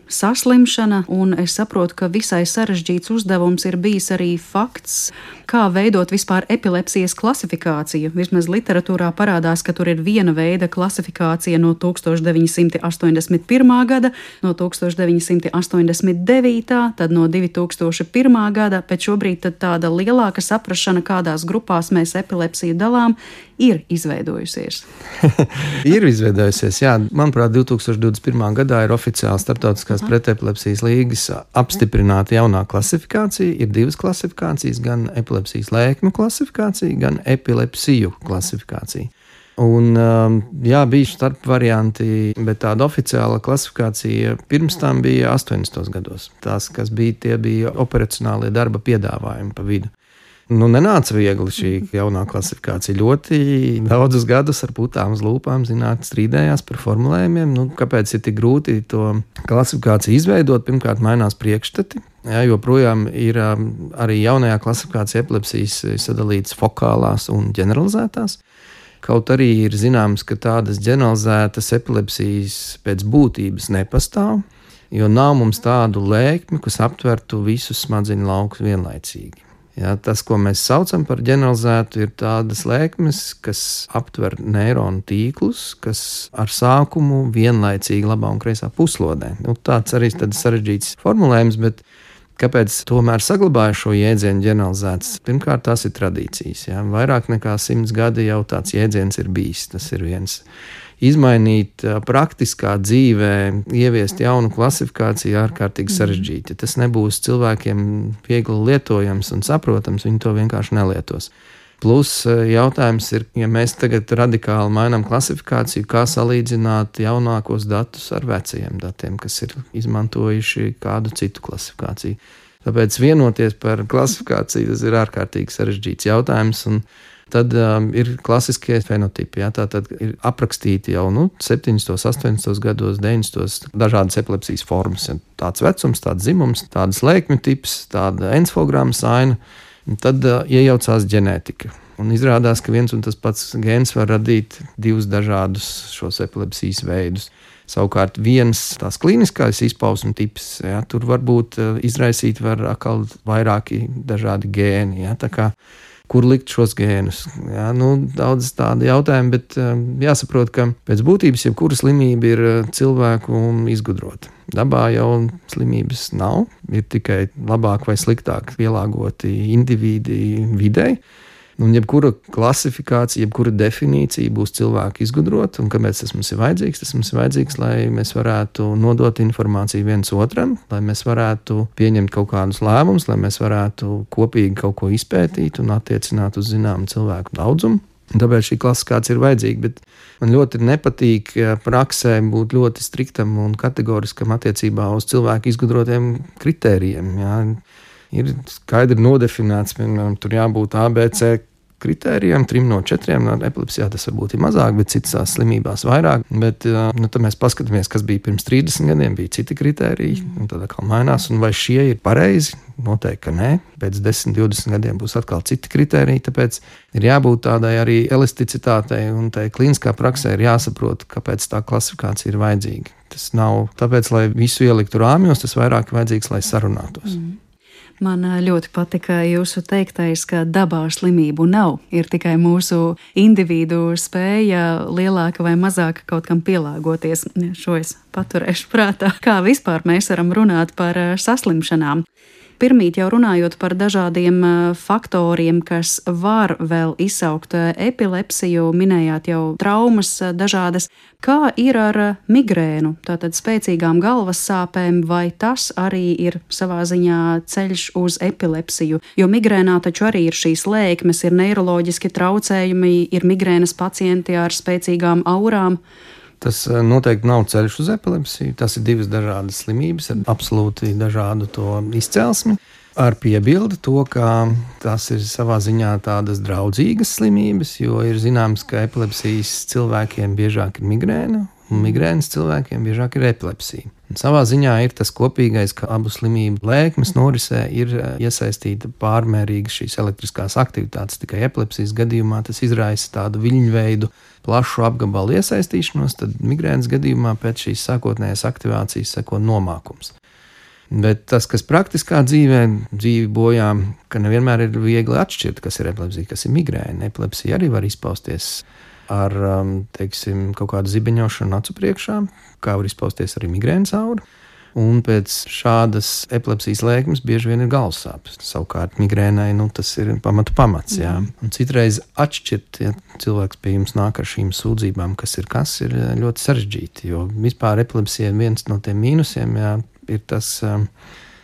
saslimšana, un es saprotu, ka visai sarežģīts uzdevums ir bijis arī fakts, kā veidot vispār epilepsijas klasifikāciju. Vismaz literatūrā parādās, ka tur ir viena veida klasifikācija no tūkstoš deviņi simti astoņdesmit pirmā gada, no tūkstoš deviņi simti astoņdesmit devītā, tad no divi tūkstoši pirmā gada, bet šobrīd tad tāda lielāka saprašana, kādās grupās mēs epilepsiju dalām, ir izveidojusies. ir izveidojusies, jā. Manuprāt, divi tūkstoši divdesmit pirmā gadā ir oficiāli Starptautiskās pretepilepsijas līgas apstiprināta jaunā klasifikācija. Ir divas klasifikācijas, gan epilepsijas lēkmju klasifikācija, gan epilepsiju klasifikācija. Un, jā, bija starp varianti, bet tāda oficiāla klasifikācija pirms tam bija astoņdesmitos gados. Tās, kas bija, tie bija operacionālie darba piedāvājumi pa vidu. Nu, nenāca viegli šī jaunā klasifikācija. Ļoti daudzus gadus ar putām uz lūpām zinātnieki strīdējās par formulējumiem. Nu, kāpēc ir tik grūti to klasifikāciju izveidot? Pirmkārt, mainās priekšstati. Jā, joprojām ir arī jaunajā klasifikācijā epilepsijas sadalītas fokālās un ģeneralizētās. Kaut arī ir zināms, ka tādas ģeneralizētas epilepsijas pēc būtības nepastāv, jo nav mums tādu lēkmi, kas aptvertu visus smadzeņu laukus vienlaicīgi. Jā, tas, ko mēs saucam par ģeneralizētu, ir tādas lēkmes, kas aptver neironu tīklus, kas ar sākumu vienlaicīgi labā un kreisā puslodē. Nu, tāds arī tāds sarežģīts formulējums, bet kāpēc tomēr saglabāju šo jēdzienu ģeneralizēts? Pirmkārt, tās ir tradīcijas. Jā. Vairāk nekā simts gadi jau tāds jēdziens ir bijis. Tas ir viens izmainīt praktiskā dzīvē, ieviest jaunu klasifikāciju ārkārtīgi sarežģīti. Tas nebūs cilvēkiem viegli lietojams un saprotams, viņi to vienkārši nelietos. Plus jautājums ir, ja mēs tagad radikāli mainām klasifikāciju, kā salīdzināt jaunākos datus ar vecajiem datiem, kas ir izmantojuši kādu citu klasifikāciju. Tāpēc vienoties par klasifikāciju, tas ir ārkārtīgi sarežģīts jautājums, un tad um, ir klasiskie fenotipi, ja, tā tad ir aprakstīti jau nu, septiņdesmitos, astoņdesmitos gados, deviņdesmitos dažādas epilepsijas formas. Ja, tāds vecums, tāds dzimums, tādas lēkmju tips, tāda encefalogramma saina, un tad uh, iejaucās ģenētika. Un izrādās, ka viens un tas pats gēns var radīt divus dažādus šos epilepsijas veidus. Savukārt viens tās klīniskais izpausmu tips, ja, tur varbūt uh, izraisīt var atkal vairāki dažādi gēni, ja, tā kā kur likt šos gēnus. Jā, nu, daudz tādu jautājumu, bet um, jāsaprot, ka pēc būtības jebkura slimība ir cilvēku izgudrota. Dabā jau slimības nav, ir tikai labāk vai sliktāk pielāgoti indivīdi videi. Un jebkura klasifikācija, jebkura definīcija būs cilvēku izgudrota, un kāpēc tas mums ir vajadzīgs? Tas mums ir vajadzīgs, lai mēs varētu nodot informāciju viens otram, lai mēs varētu pieņemt kaut kādus lēmumus, lai mēs varētu kopīgi kaut ko izpētīt un attiecināt uz zināmu cilvēku daudzumu. Tāpēc šī klasifikācija ir vajadzīga, bet man ļoti nepatīk praksē būt ļoti striktam un kategoriskam attiecībā uz cilvēku izgudrotiem kritērijiem. Jā. Ir skaidri nodefinēts, piemēram, tur jābūt A B C kritērijiem, trim no četriem, no epilepsijā tas varbūt ir mazāk, bet citās slimībās vairāk, bet nu, tad mēs paskatāmies, kas bija pirms trīsdesmit gadiem, bija citi kritēriji, un tad atkal mainās, un vai šie ir pareizi? Noteikti, ka nē, pēc desmit, divdesmit gadiem būs atkal citi kritēriji, tāpēc ir jābūt tādai arī elasticitātei, un tai klīniskā praksē ir jāsaprot, kāpēc tā klasifikācija ir vajadzīga. Tas nav tāpēc, lai visu ieliktu rāmjos, tas vairāk ir vajadzīgs, lai sarunātos. Mm. Man ļoti patika jūsu teiktais, ka dabā slimību nav. Ir tikai mūsu individu spēja lielāka vai mazāka kaut kam pielāgoties. Šo es paturēšu prātā. Kā vispār mēs varam runāt par saslimšanām? Pirmīt jau runājot par dažādiem faktoriem, kas var vēl izsaukt epilepsiju, minējāt jau traumas dažādas. Kā ir ar migrēnu, tātad spēcīgām galvas sāpēm, vai tas arī ir savā ziņā ceļš uz epilepsiju? Jo migrēnā taču arī ir šīs lēkmes, ir neiroloģiski traucējumi, ir migrēnas pacienti ar spēcīgām aurām. Tas noteikti nav ceļš uz epilepsiju. Tas ir divas dažādas slimības ar absolūti dažādu to izcelsmi. Ar piebildi to, ka tas ir savā ziņā tādas draudzīgas slimības, jo ir zināms, ka epilepsijas cilvēkiem biežāk ir migrēna, un migrēnas cilvēkiem biežāk ir epilepsija. Un savā ziņā ir tas kopīgais, ka abu slimību lēkmes norisē ir iesaistīta pārmērīga šīs elektriskās aktivitātes. Tikai epilepsijas gadījumā tas izraisa tādu viļņveidu plašu apgabalu iesaistīšanos, tad migrēnas gadījumā pēc šīs sākotnējās aktivācijas seko nomākums. Bet tas, kas praktiskā dzīvē dzīvi bojā, ka nevienmēr ir viegli atšķirt, kas ir epilepsija, kas ir migrēna. Epilepsija arī var izpausties ar, teiksim, kaut kādu zibeņošanu acu priekšā, kā var izpausties arī migrēnas aura. Un pēc šādas epilepsijas lēkmes bieži vien ir galvassāpes. Savukārt migrēnai, nu, tas ir pamatu pamats, jā. Un citreiz atšķirt, ja cilvēks pie jums nāk ar šīm sūdzībām, kas ir kas, ir ļoti sarežģīti, jo vispār epilepsija viens no tiem mīnusiem, jā, ir tas,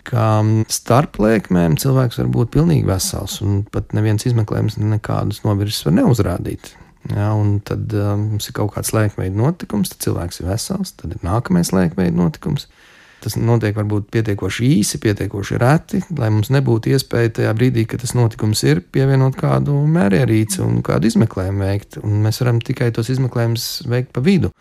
ka starp lēkmēm cilvēks var būt pilnīgi vesels, un pat neviens izmeklējums nekādus novirzes var neuzrādīt. Ja, un tad uh, mums ir kaut kāds lēkmeļa notikums, tad cilvēks ir vesels, tad ir nākamais lēkmeļa notikums. Tas notiek varbūt pietiekoši īsi, pietiekoši reti, lai mums nebūtu iespēja tajā brīdī, kad tas notikums ir, pievienot kādu mērierīci un kādu izmeklējumu veikt. Un mēs varam tikai tos izmeklējumus veikt pa vidu.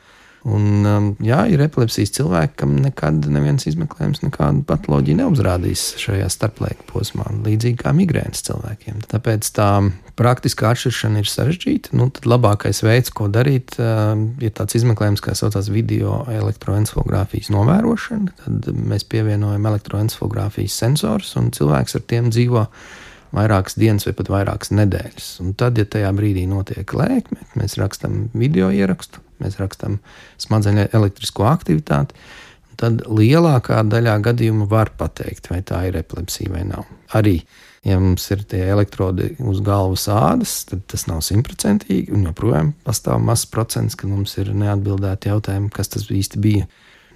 Un, jā, ir epilepsijas cilvēki, kam nekad neviens izmeklējums nekādu patoloģiju neuzrādīs šajā starplaika posmā, līdzīgi kā migrēnas cilvēkiem. Tāpēc tā praktiskā atšķiršana ir sarežģīta. Nu, tad labākais veids, ko darīt, ir tāds izmeklējums, kā saucās video elektroencefalogrāfijas novērošana. Tad mēs pievienojam elektroencefalogrāfijas sensors, un cilvēks ar tiem dzīvo vairākas dienas vai pat vairākas nedēļas. Un tad, ja tajā brīdī notiek lēkme, mēs rakstam video ierakstu, mēs rakstam smadzeņu elektrisko aktivitāti, tad lielākā daļā gadījumu var pateikt, vai tā ir epilepsija vai nav. Arī, Ja mums ir tie elektrodi uz galvas ādas, tad tas nav simtprocentīgi, un joprojām pastāv mazs procents, ka mums ir neatbildēti jautājumi, kas tas īsti bija.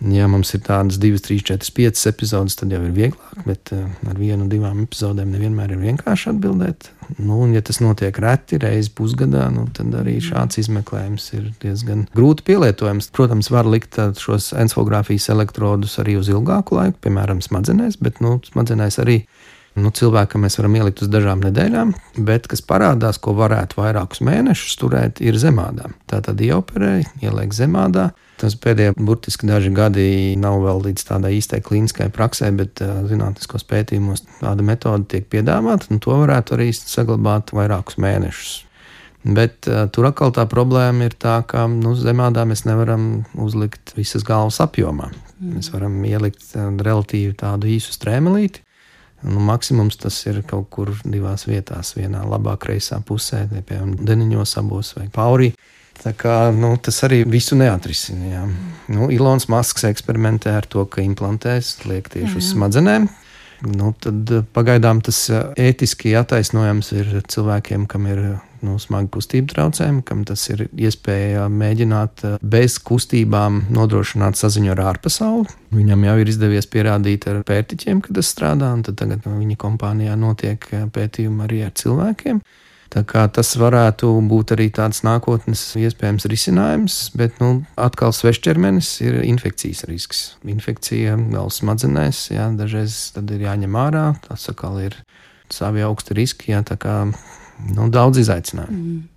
Ja mums ir tādas divas, trīs, četras, piecas epizodes, tad jau ir vieglāk, bet ar vienu, divām epizodēm nevienmēr ir vienkārši atbildēt. Nu, un ja tas notiek reti, reizi pusgadā, nu, tad arī šāds izmeklējums ir diezgan grūti pielietojams. Protams, var likt šos encefalogrāfijas elektrodus arī uz ilgāku laiku, piemēram, smadzenēs, bet nu, smadzenēs arī nu, cilvēkam mēs varam ielikt uz dažām nedēļām, bet kas parādās, ko varētu vairākus mēnešus turēt, ir zemādā. Tātad ieoperē, ieliek zemādā. Tas pēdējie burtiski daži gadi nav vēl līdz tādai īstai klīniskai praksē, bet uh, zinātniskos pētījumos tāda metode tiek piedāvāta, un to varētu arī saglabāt vairākus mēnešus. Bet uh, tur atkal tā problēma ir tā, ka nu, zemādā mēs nevaram uzlikt visas galvas apjomā. Mm. Mēs varam ielikt uh, relatīvi tādu īsu strēmelīti. Nu, maksimums tas ir kaut kur divās vietās, vienā labā kreisā pusē, piemēram, deniņos abos vai paurī. Tā kā, nu, tas arī visu neatrisina. Jā. Nu, Ilons Masks eksperimentē ar to, ka implantēs liek tieši uz smadzenēm. Nu, tad pagaidām tas ētiski attaisnojams ir cilvēkiem, kam ir nu, smagi kustību traucējumi, kam tas ir iespēja mēģināt bez kustībām nodrošināt saziņu ar ārpasauli. Viņam jau ir izdevies pierādīt ar pērtiķiem, ka tas strādā, un tad tagad viņa kompānijā notiek pētījumi arī ar cilvēkiem. Tā kā tas varētu būt arī tāds nākotnes iespējams risinājums, bet nu, atkal svešķermenis ir infekcijas risks. Infekcija galvas smadzenēs, jā, dažreiz tad ir jāņem ārā, tas atkal ir savi augsti riski, jā, tā kā nu, daudz izaicinājumu. Mm.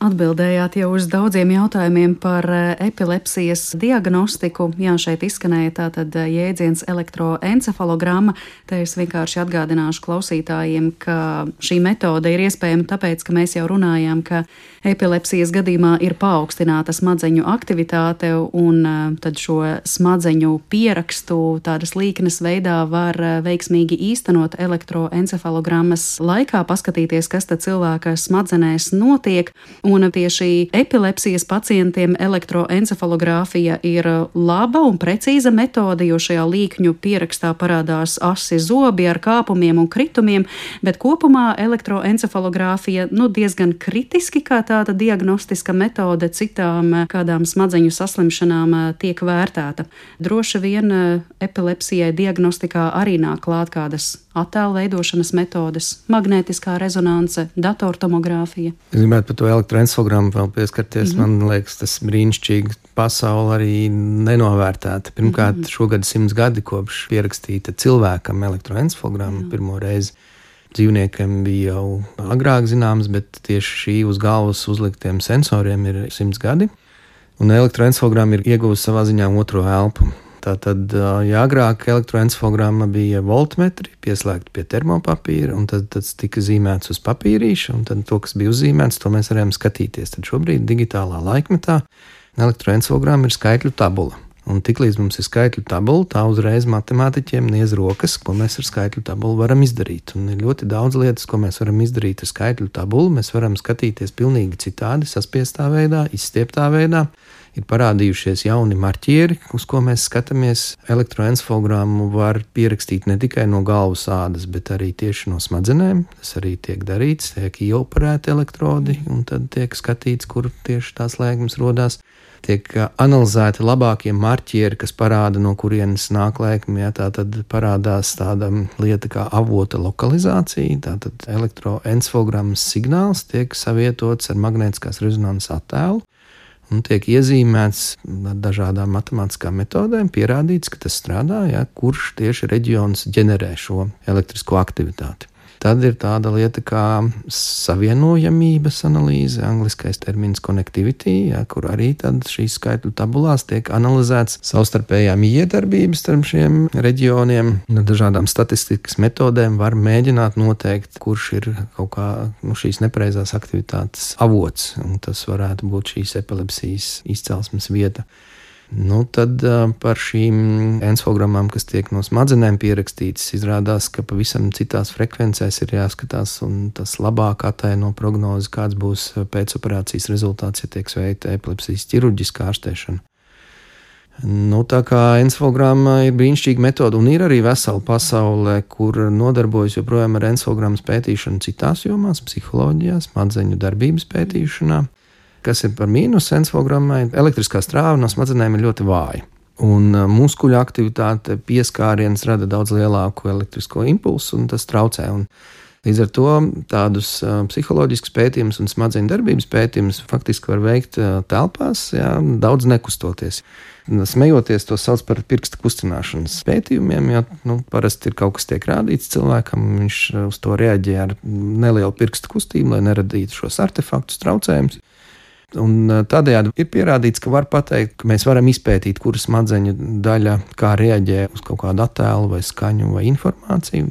Atbildējāt jau uz daudziem jautājumiem par epilepsijas diagnostiku. Jā, šeit izskanēja tātad jēdziens elektroencefalogramma. Te es vienkārši atgādināšu klausītājiem, ka šī metode ir iespējama tāpēc, ka mēs jau runājām, ka epilepsijas gadījumā ir paaugstināta smadzeņu aktivitāte, un tad šo smadzeņu pierakstu tādas līknes veidā var veiksmīgi īstenot elektroencefalogrammas laikā, paskatīties, kas tad cilvēka smadzenēs notiek. Un tieši epilepsijas pacientiem elektroencefalogrāfija ir laba un precīza metode, jo šajā līkņu pierakstā parādās asi zobi ar kāpumiem un kritumiem, bet kopumā elektroencefalogrāfija nu, diezgan kritiski kā tāda diagnostiska metode citām kādām smadzeņu saslimšanām tiek vērtēta. Droši vien epilepsijai diagnostikā arī nāk klāt kādas attēlu veidošanas metodes, magnētiskā rezonance, datortomogrāfija. Es gribētu par to elektroencefalogrammu vēl pieskarties. Mm-hmm. Man liekas, tas brīnišķīgi pasauli arī nenovērtēta. Pirmkārt, mm-hmm. šogad simts gadi kopš pierakstīta cilvēkam elektroencefalogramma pirmo reizi. Dzīvniekiem bija jau agrāk zināms, bet tieši šī uz galvas uzliktiem sensoriem ir simts gadi. Un elektroencefalogramma ir ieguvusi savā ziņā otro elpu. Tātad, ja agrāk elektroencefalogramma bija voltmetri, pieslēgta pie termopapīra, un tad tas tika zīmēts uz papīrīša, un tad to, kas bija uzzīmēts, to mēs varējām skatīties. Tad šobrīd digitālā laikmetā elektroencefalogramma ir skaitļu tabula. Un tiklīdz mums ir skaitļu tabula, tā uzreiz matemātiķiem niez rokas, ko mēs ar skaitļu tabulu varam izdarīt. Un ir ļoti daudz lietas, ko mēs varam izdarīt ar skaitļu tabulu. Mēs varam skatīties pilnīgi citādi, saspiestā veidā, izstieptā veidā. Ir parādījušies jauni marķieri, uz ko mēs skatāmies. Elektroencefalogrammu var pierakstīt ne tikai no galvas ādas, bet arī tieši no smadzenēm. Tas arī tiek darīts, tiek ieoperēti elektrodi, un tad tiek skatīts, kur tieši tās lēkmes rodās. Tiek analizēti labākie marķieri, kas parāda, no kurienes nāk lēkme. Ja, tā tad parādās tāda lieta kā avota lokalizācija. Tātad elektroencefalogrammas signāls tiek savietots ar magnētiskās rezonanses attēlu. Un tiek iezīmēts ar dažādām matemātiskām metodēm, pierādīts, ka tas strādā, ja, kurš tieši reģions ģenerē šo elektrisko aktivitāti. Tad ir tāda lieta kā savienojamības analīze, angliskais termins connectivity, ja, kur arī tad šīs skaitļu tabulās tiek analizēts savstarpējā mijiedarbības starp šiem reģioniem. Ar dažādām statistikas metodēm var mēģināt noteikt, kurš ir kaut kā nu, šīs nepareizās aktivitātes avots, un tas varētu būt šīs epilepsijas izcelsmes vieta. Nu, tad par šīm encefalogrammām, kas tiek no smadzenēm pierakstītas, izrādās, ka pavisam citās frekvencēs ir jāskatās, un tas labāk ataino prognozi, kāds būs pēcoperācijas rezultāts, ja tiek veikta epilepsijas ķirurģiskā ārstēšana. Nu, tā kā encefalogramma ir brīnišķīga metode, un ir arī vesela pasaule, kur nodarbojas joprojām ar encefalogrammas pētīšanu citās jomās, psiholoģijā, smadzeņu darbības pētīšanā. Kas ir par mīnusu encefalogrammai? Elektriskā strāva no smadzenēm ir ļoti vāja. Un muskuļu aktivitāte, pieskāriens rada daudz lielāku elektrisko impulsu, un tas traucē. Un līdz ar to tādus psiholoģiskus pētījumus un smadzeņu darbības pētījumus faktiski var veikt telpās, jā, daudz nekustoties. Smejoties, to sauc par pirksta kustināšanas pētījumiem, jo nu, parasti ir kaut kas tiek rādīts cilvēkam, viņš uz to reaģē ar nelielu pirksta kustību, lai neradītu šos artefaktus, traucējumus. Un tādējādi ir pierādīts, ka var pateikt, ka mēs varam izpētīt, kura smadzeņu daļa kā reaģē uz kaut kādu attēlu vai skaņu vai informāciju.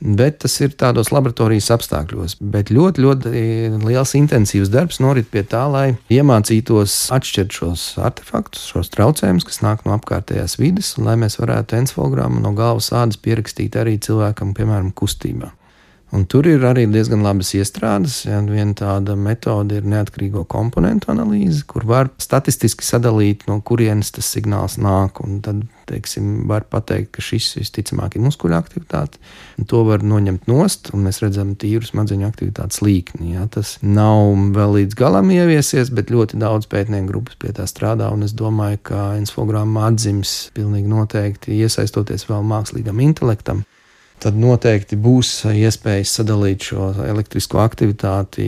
Bet tas ir tādos laboratorijas apstākļos. Bet ļoti, ļoti liels intensīvs darbs norit pie tā, lai iemācītos atšķirt šos artefaktus, šos traucējumus, kas nāk no apkārtējās vides, un lai mēs varētu encefalogrammu no galvas ādas pierakstīt arī cilvēkam, piemēram, kustībā. Un tur ir arī diezgan labas iestrādes. Ja, viena tāda metode ir neatkarīgo komponentu analīze, kur var statistiski sadalīt, no kurienes tas signāls nāk. Un tad, teiksim, var pateikt, ka šis visticamāk ir muskuļu aktivitāte. Un to var noņemt nost, un mēs redzam tīru smadzeņu aktivitātes līkni. Ja. Tas nav vēl līdz galam ieviesies, bet ļoti daudz pētnieku grupas pie tā strādā. Un es domāju, ka encefalogramma atdzims pilnīgi noteikti iesaistoties vēl mākslīgam intelektam. Tad noteikti būs iespējas sadalīt šo elektrisko aktivitāti,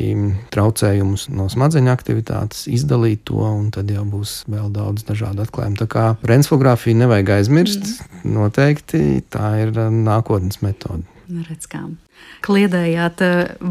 traucējumus no smadzeņu aktivitātes, izdalīt to, un tad jau būs vēl daudz dažādu atklājumu. Tā kā par encefalogrāfiju nevajag aizmirst, noteikti tā ir nākotnes metode. Redz kā. Kliedējāt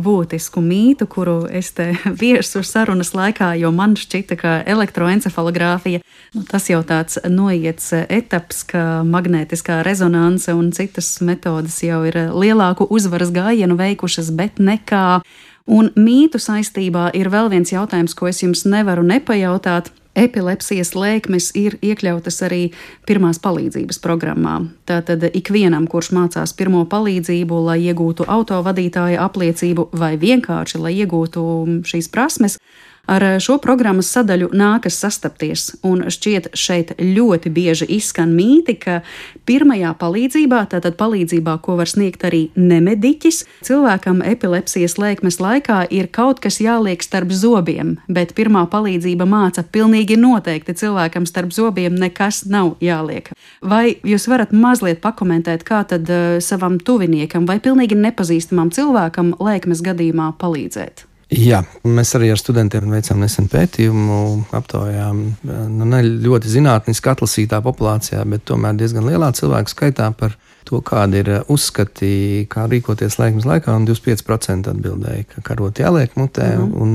būtisku mītu, kuru es te viesu sarunas laikā, jo man šķita, ka elektroencefalogrāfija, nu, tas jau tāds noiets etaps, ka magnētiskā rezonanse un citas metodas jau ir lielāku uzvaras gājienu veikušas, bet nekā. Un mītu saistībā ir vēl viens jautājums, ko es jums nevaru nepajautāt. Epilepsijas lēkmes ir iekļautas arī pirmās palīdzības programmā. Tātad ikvienam, kurš mācās pirmo palīdzību, lai iegūtu autovadītāja apliecību vai vienkārši, lai iegūtu šīs prasmes, ar šo programmas sadaļu nākas sastapties. Un šķiet šeit ļoti bieži izskan mīti, ka pirmajā palīdzībā, tātad palīdzībā, ko var sniegt arī nemediķis, cilvēkam epilepsijas lēkmes laikā ir kaut kas jāliek starp zobiem, bet pirmā palīdzība māca pilnīgi noteikti cilvēkam starp zobiem nekas nav jāliek. Vai jūs varat mazliet pakomentēt, kā tad uh, savam tuviniekam vai pilnīgi nepazīstamam cilvēkam lēkmes gadījumā palīdzēt? Jā, mēs arī ar studentiem veicām nesen pētījumu, aptaujām nu, ne ļoti zinātniski atlasītā populācijā, bet tomēr diezgan lielā cilvēku skaitā par to, kādi ir uzskati, kā rīkoties lēkmes laikā, un divdesmit pieci procenti atbildēja, ka karoti jāliek mutē, mm. un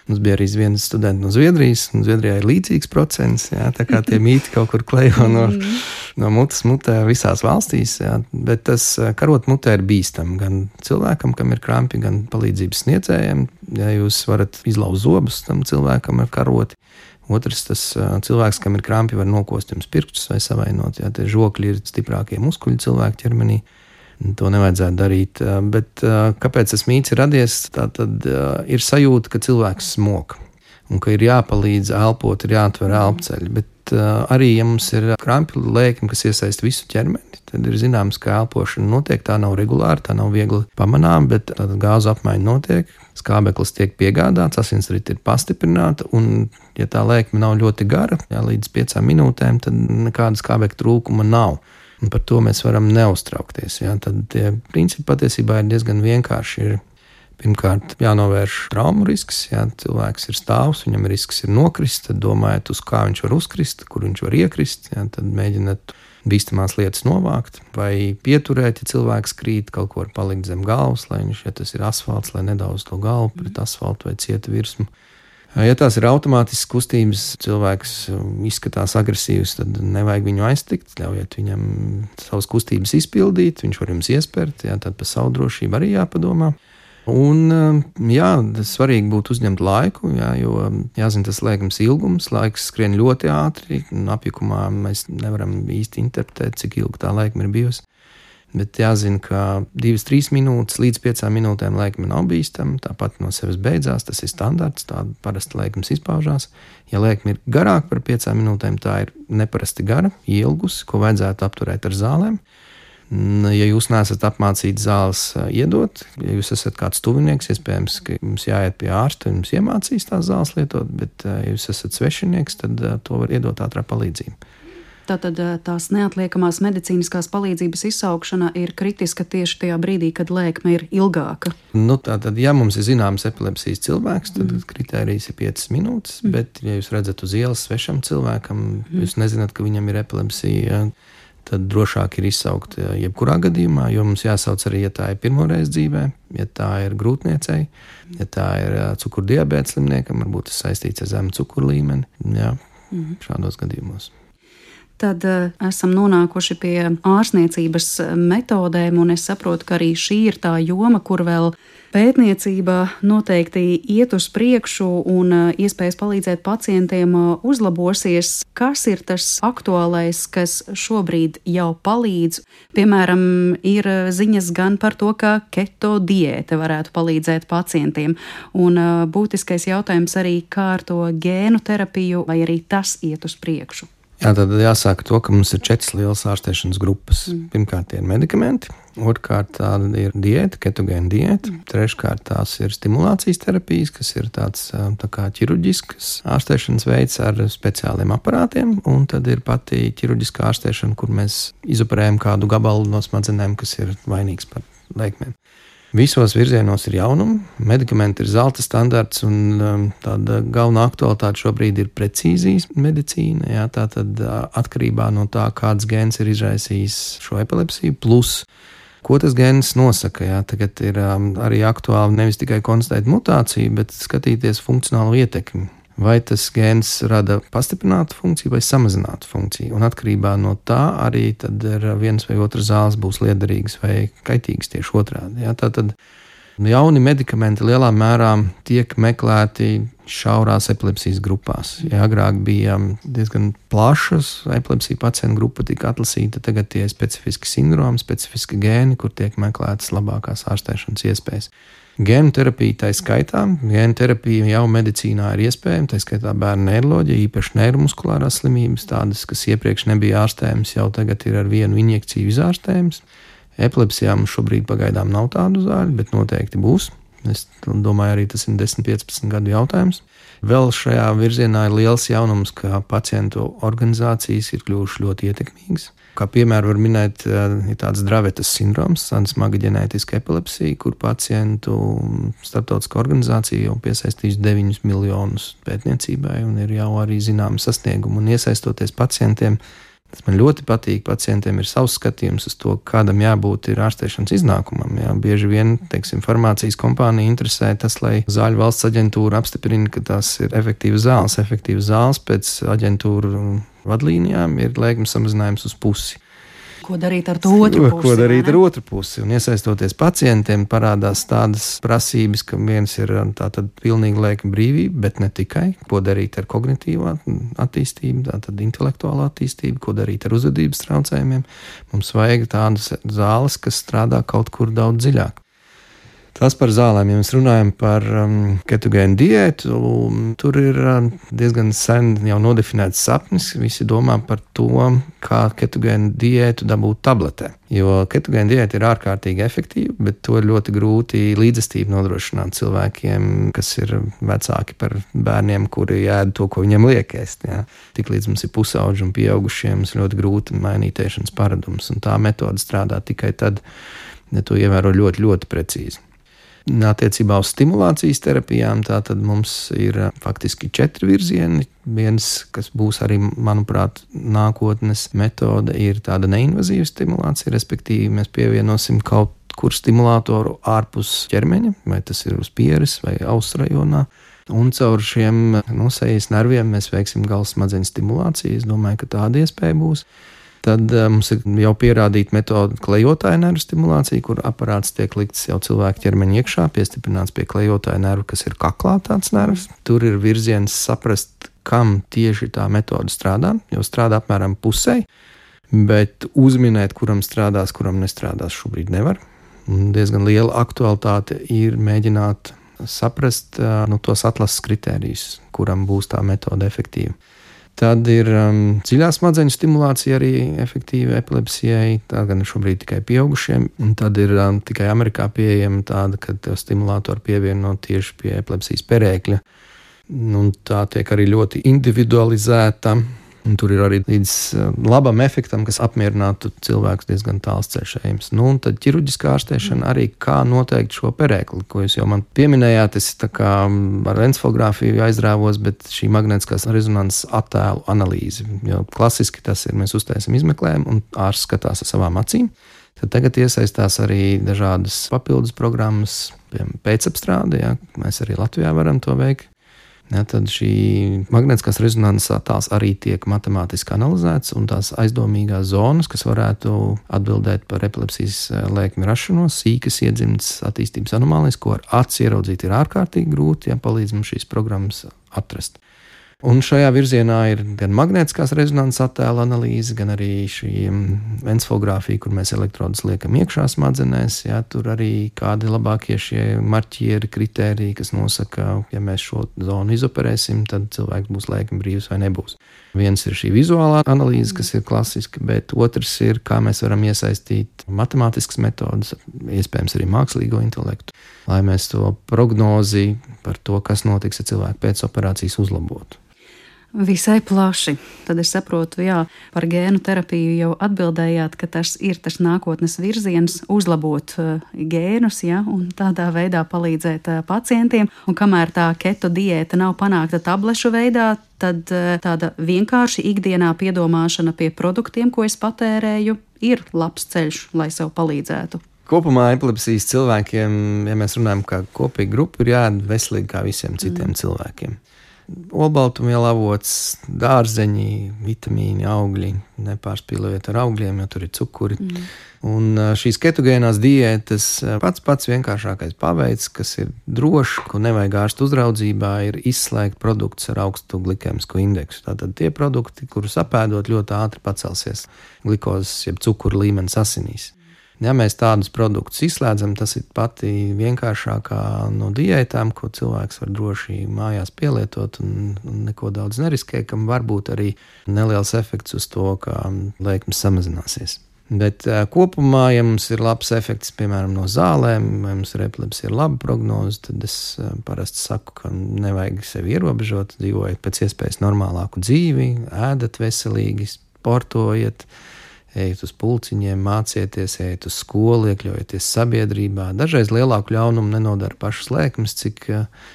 mums bija arī viens students no Zviedrijas, un Zviedrijā ir līdzīgs procents, jā, tā kā tie mīti kaut kur klejo no, mm. no mutes mutē visās valstīs, jā, bet tas karot mutē ir bīstam gan cilvēkam, kam ir krampi, gan palīdzības sniedzējiem, ja jūs varat izlauzt zobus tam cilvēkam ar karoti. Otrs, tas cilvēks, kam ir krampi, var nokost jums pirkstus vai savainot. Jā, tie žokļi ir stiprākie muskuļi cilvēku ķermenī. To nevajadzētu darīt. Bet kāpēc tas mīts ir radies? Tā tad ir sajūta, ka cilvēks smok un ka ir jāpalīdz elpot, ir jāatver elpceļi. Bet arī, ja mums ir krampi lēkme, kas iesaist visu ķermeni, tad ir zināms, ka elpošana notiek. Tā nav regulāra, tā nav viegli pamanām, bet gāzu apmaiņa notiek. Skābeklis tiek piegādāts, asinsrite ir pastiprināta, un, ja tā lēkme nav ļoti gara, jā, līdz piecām minūtēm, tad nekāda skābekļa trūkuma nav. Un par to mēs varam neuztraukties. Jā. Tad tie principi patiesībā ir diezgan vienkārši. Ir pirmkārt jānovērš traumu risks, jā, cilvēks ir stāvs, viņam risks ir nokrist, tad domājat, uz kā viņš var uzkrist, kur viņš var iekrist, jā, tad mēģināt bīstamās lietas novākt vai pieturēt, ja cilvēks krīt, kaut ko var palikt zem galvas, lai viņš, ja tas ir asfalts, lai nedauz to galvu pret asfaltu vai cieta virsmu. Ja tās ir automātiskas kustības, cilvēks izskatās agresīvs, tad nevajag viņu aiztikt, ļaujiet viņam savas kustības izpildīt, viņš var jums iespērt, jā, tad par savu drošību arī jāpadomā. Un, jā, svarīgi būtu uzņemt laiku, jā, jo jāzina tas lēkmes ilgums, laiks skrien ļoti ātri, un apjukumā mēs nevaram īsti interpretēt, cik ilgi tā lēkme ir bijusi. Bet jāzina, ka divas, trīs minūtes līdz piecām minūtēm lēkme nav bīstama, tāpat no sevis beidzās, tas ir standarts, tāda parasti lēkmes izpaužās. Ja lēkme ir garāka par piecām minūtēm, tā ir neparasti gara, ielgusi, ko vajadzētu apturēt ar zālēm. Ja jūs neesat apmācīti zāles iedot, ja jūs esat kāds tuvinieks, iespējams, ka jums jāiet pie ārsta un jums iemācīs tās zāles lietot, bet ja jūs esat svešinieks, tad to var iedot ātrā palīdzība. Tātad tās neatliekamās medicīniskās palīdzības izsaukšana ir kritiska tieši tajā brīdī, kad lēkme ir ilgāka. Nu, tātad, ja mums ir zināms epilepsijas cilvēks, tad mm. kritērijs ir piecas minūtes, mm. bet, ja jūs redzat uz ielas svešam cilvēkam, mm. jūs nezināt, ka viņam ir epilepsija, tad drošāk ir izsaukt jebkurā gadījumā, jo mums jāsauc arī, ja tā ir pirmoreiz dzīvē, ja tā ir grūtniecei, ja tā ir cukurdiabēta slimniekam, varbūt tas saistīts ar zemu cukuru līmeni, jā, mm. šādos gadījumos. Tad uh, esam nonākuši pie ārstniecības metodēm, un es saprotu, ka arī šī ir tā joma, kur vēl pētniecība noteikti iet uz priekšu un uh, iespējas palīdzēt pacientiem uh, uzlabosies. Kas ir tas aktuālais, kas šobrīd jau palīdz? Piemēram, ir ziņas gan par to, ka keto diēta varētu palīdzēt pacientiem, un uh, būtiskais jautājums arī, kā ar to gēnu terapiju, vai arī tas iet uz priekšu. Jā, tad jāsaka to, ka mums ir četras lielas ārstēšanas grupas. Mm. Pirmkārt, tie ir medikamenti, otrkārt, tāda ir diēta, ketogēna diēta, mm. treškārt, tās ir stimulācijas terapijas, kas ir tāds tā kā ķirurģisks ārstēšanas veids ar speciāliem aparātiem, un tad ir pati ķirurģiskā ārstēšana, kur mēs izoperējam kādu gabalu no smadzenēm, kas ir vainīgs par lēkmēm. Visos virzienos ir jaunumi, medikamenti ir zelta standarts, un um, tāda galvenā aktualitāte šobrīd ir precīzijas medicīna. Jā, tā tad uh, atkarībā no tā, kāds gēns ir izraisījis šo epilepsiju, plus ko tas gēns nosaka. Jā, tagad ir um, arī aktuāli nevis tikai konstatēt mutāciju, bet skatīties funkcionālu ietekmi. Vai tas gēns rada pastiprinātu funkciju vai samazinātu funkciju. Un atkarībā no tā arī tad ir viens vai otrs zāles būs liederīgas vai kaitīgas tieši otrādi. Jā, tātad jauni medikamenti lielā mērā tiek meklēti šaurās epilepsijas grupās. Ja agrāk bija diezgan plašas epilepsija pacientu grupa tika atlasīta, tagad tie ir specifiski sindromi, specifiski gēni, kur tiek meklētas labākās ārstēšanas iespējas. Gēnu terapija tā skaitā, gēnu terapija jau medicīnā ir iespējama, tā skaitā bērnu neiroloģija, īpaši neiromuskulārās slimības, tādas, kas iepriekš nebija ārstējamas, jau tagad ir ar vienu injekciju izārstējamas. Epilepsijā mums šobrīd pagaidām nav tādu zāļu, bet noteikti būs. Es domāju, arī tas ir desmit, piecpadsmit gadu jautājums. Vēl šajā virzienā ir liels jaunums, ka pacientu organizācijas ir kļuvušas ļoti ietekmīgas. Kā piemēru var minēt, ir tāds Dravetas sindroms, tāda smaga ģenētiska epilepsija, kur pacientu starptautiskā organizācija jau piesaistījusi deviņus miljonus pētniecībai un ir jau arī zināmi sasniegumi. Un iesaistoties pacientiem, tas man ļoti patīk, pacientiem ir savs skatījums uz to, kādam jābūt ir ārstēšanas iznākumam. Jā, bieži vien, teiksim, farmācijas kompānija interesē tas, lai Zāļu valsts aģentūra apstiprina, ka tās ir efektīvas zāles. Efektīvas zāles pēc aģentūra vadlīnijām ir lēkmes samazinājums uz pusi. Ko darīt ar to otru pusi? Ko darīt ar otru pusi? Un iesaistoties pacientiem, parādās tādas prasības, ka viens ir tātad pilnīgi lēkme brīvība, bet ne tikai. Ko darīt ar kognitīvā attīstību, tātad intelektuālā attīstību, ko darīt ar uzvedības traucējumiem. Mums vajag tādas zāles, kas strādā kaut kur daudz dziļāk. Tas par zālēm, ja mēs runājam par um, ketogēnu diētu, tur ir um, diezgan sen jau nodefinēts sapnis. Visi domā par to, kā ketogēnu diētu dabūt tabletē. Jo ketogēna diēta ir ārkārtīgi efektīva, bet to ir ļoti grūti līdzestību nodrošināt cilvēkiem, kas ir vecāki par bērniem, kuri ēd to, ko viņiem liek ēst. Jā. Tiklīdz mums ir pusauģi un pieaugušiem, mums ļoti grūti mainīt ēšanas paradumus, un tā metode strādā tikai tad, ja to ievēro ļoti, ļoti precīzi. Attiecībā uz stimulācijas terapijām tātad mums ir faktiski četri virzieni. Viens, kas būs arī, manuprāt, nākotnes metode, ir tāda neinvazīva stimulācija, respektīvi mēs pievienosim kaut kur stimulātoru ārpus ķermeņa, vai tas ir uz pieres vai auss rajonā. Un caur šiem no sejas nerviem mēs veiksim galvas smadzeņu stimulāciju. Es domāju, ka tāda iespēja būs. Tad uh, mums ir jau pierādīta metode klejotāja nervu stimulācija, kur aparāts tiek likts jau cilvēka ķermeņa iekšā, piestiprināts pie klejotāja nerva, kas ir kaklā tāds nervs. Tur ir virziens saprast, kam tieši tā metode strādā, jo strādā apmēram pusē. bet uzminēt, kuram strādās, kuram nestrādās, šobrīd nevar. Un diezgan liela aktualitāte ir mēģināt saprast nu, tos atlases kritērijus, kuram būs tā metode efektīva. Tad ir um, dziļā smadzeņu stimulācija arī efektīva epilepsijai, tā gan šobrīd tikai pieaugušiem. Un tad ir um, tikai Amerikā pieejama tāda, ka tev stimulātori pievieno tieši pie epilepsijas perēkļa. Un tā tiek arī ļoti individualizēta. Un tur ir arī līdz labam efektam, kas apmierinātu cilvēkus diezgan tāls ceļš ejams. Nu, un tad ķirurģiskā ārstēšana arī kā noteikt šo perēkli, ko jūs jau man pieminējāt. Es tā kā ar encefalogrāfiju aizrāvos, bet šī magnētiskās rezonanses attēlu analīze. Jo klasiski tas ir, mēs uztaisam izmeklējumu un ārsts skatās ar savām acīm. Tad tagad iesaistās arī dažādas papildus programmas, piemēram, pēcapstrāde, ja, mēs arī Latvijā varam to veikt. Ja, tad šī magnētiskās rezonanses attēls arī tiek matemātiski analizēts, un tās aizdomīgās zonas, kas varētu atbildēt par epilepsijas lēkmi rašanos, sīkas iedzimtas attīstības anomālijas, ko ar aci ieraudzīt ir ārkārtīgi grūti, ja palīdz mums šīs programmas atrast. Un šajā virzienā ir gan magnētiskās rezonanses attēla analīze, gan arī šī encefalogrāfija, kur mēs elektrodus liekam iekšā smadzenēs. Jā, tur arī kādi labākie šie marķieri, kritēriji, kas nosaka, ja mēs šo zonu izoperēsim, tad cilvēks būs lēkmi brīvs vai nebūs. Viens ir šī vizuālā analīze, kas ir klasiska, bet otrs ir, kā mēs varam iesaistīt matemātiskas metodas, iespējams arī mākslīgo intelektu, lai mēs to prognozi par to, kas notiks ar cilvēku pēc operācijas uzlabotu. Visai plaši. Tad es saprotu, jā, par gēnu terapiju jau atbildējāt, ka tas ir tas nākotnes virziens uzlabot uh, gēnus, ja, un tādā veidā palīdzēt uh, pacientiem. Un kamēr tā keto diēta nav panākta tablešu veidā, tad uh, tāda vienkārši ikdienā piedomāšana pie produktiem, ko es patērēju, ir labs ceļš, lai sev palīdzētu. Kopumā epilepsijas cilvēkiem, ja mēs runājam kā kopīga grupa, ir jāēd veselīgi kā visiem citiem mm. cilvēkiem. Olbaltumvielu avots, dārzeņi, vitamīni, augļi, nepārspīlējot ar augļiem, jo tur ir cukuri. Mm. Un šīs ketogēnās diētas pats pats vienkāršākais paveids, kas ir drošs, ko nevajag ārstu uzraudzībā, ir izslēgt produktus ar augstu glikēmisko indeksu. Tātad tie produkti, kurus apēdot, ļoti ātri pacelsies glikozes, jeb cukuru līmenis asinīs. Ja mēs tādus produktus izslēdzam, tas ir pati vienkāršākā no diētām, ko cilvēks var droši mājās pielietot un, un neko daudz neriskē, kam var būt arī neliels efekts uz to, kā lēkmes samazināsies. Bet kopumā, ja mums ir labs efekts, piemēram, no zālēm, vai mums ir epilepsija ar labu prognozi, tad es parasti saku, ka nevajag sevi ierobežot, dzīvojiet pēc iespējas normālāku dzīvi, ēdat veselīgi, sportojiet, ejiet uz pulciņiem, mācieties, ejiet uz skolu, iekļaujieties sabiedrībā. Dažreiz lielāku ļaunumu nenodara pašas lēkmes, cik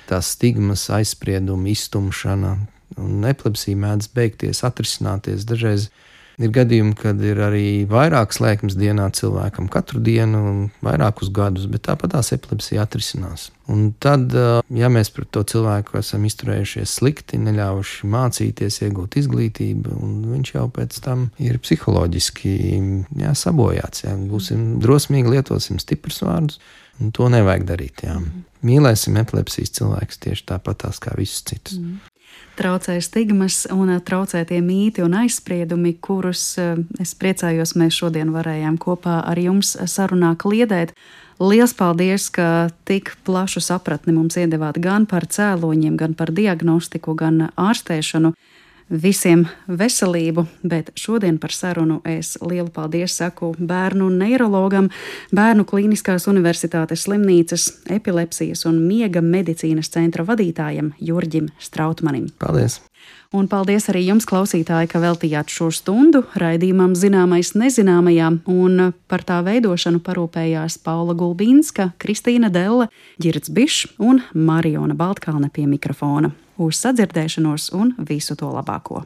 tās stigmas, aizspriedumi, iztumšana un epilepsija mēdz beigties, atrisināties. Dažreiz ir gadījumi, kad ir arī vairākas lēkmes dienā cilvēkam katru dienu un vairākus gadus, bet tāpat tās epilepsija atrisinās. Un tad, ja mēs pret to cilvēku esam izturējušies slikti, neļāvuši mācīties, iegūt izglītību, un viņš jau pēc tam ir psiholoģiski jā, sabojāts. Jā. Būsim drosmīgi, lietosim stiprus vārdus, un to nevajag darīt. Jā. Mīlēsim epilepsijas cilvēkus tieši tāpatās kā visus citus. Mm. Traucē stigmas un traucē tie mīti un aizspriedumi, kurus es priecājos mēs šodien varējām kopā ar jums sarunā kliedēt. Liels paldies, ka tik plašu sapratni mums iedevāt gan par cēloņiem, gan par diagnostiku, gan ārstēšanu. Visiem veselību, bet šodien par sarunu es lielu paldies saku bērnu neirologam, Bērnu Klīniskās Universitātes slimnīcas epilepsijas un miega medicīnas centra vadītājam Jurģim Strautmanim. Paldies! Un paldies arī jums, klausītāji, ka veltījāt šo stundu raidījumam Zināmais nezināmajām, un par tā veidošanu parūpējās Paula Gulbīnska, Kristīna Delle, Ģirds Bišs un Mariona Baltkalne pie mikrofona. Uz sadzirdēšanos un visu to labāko!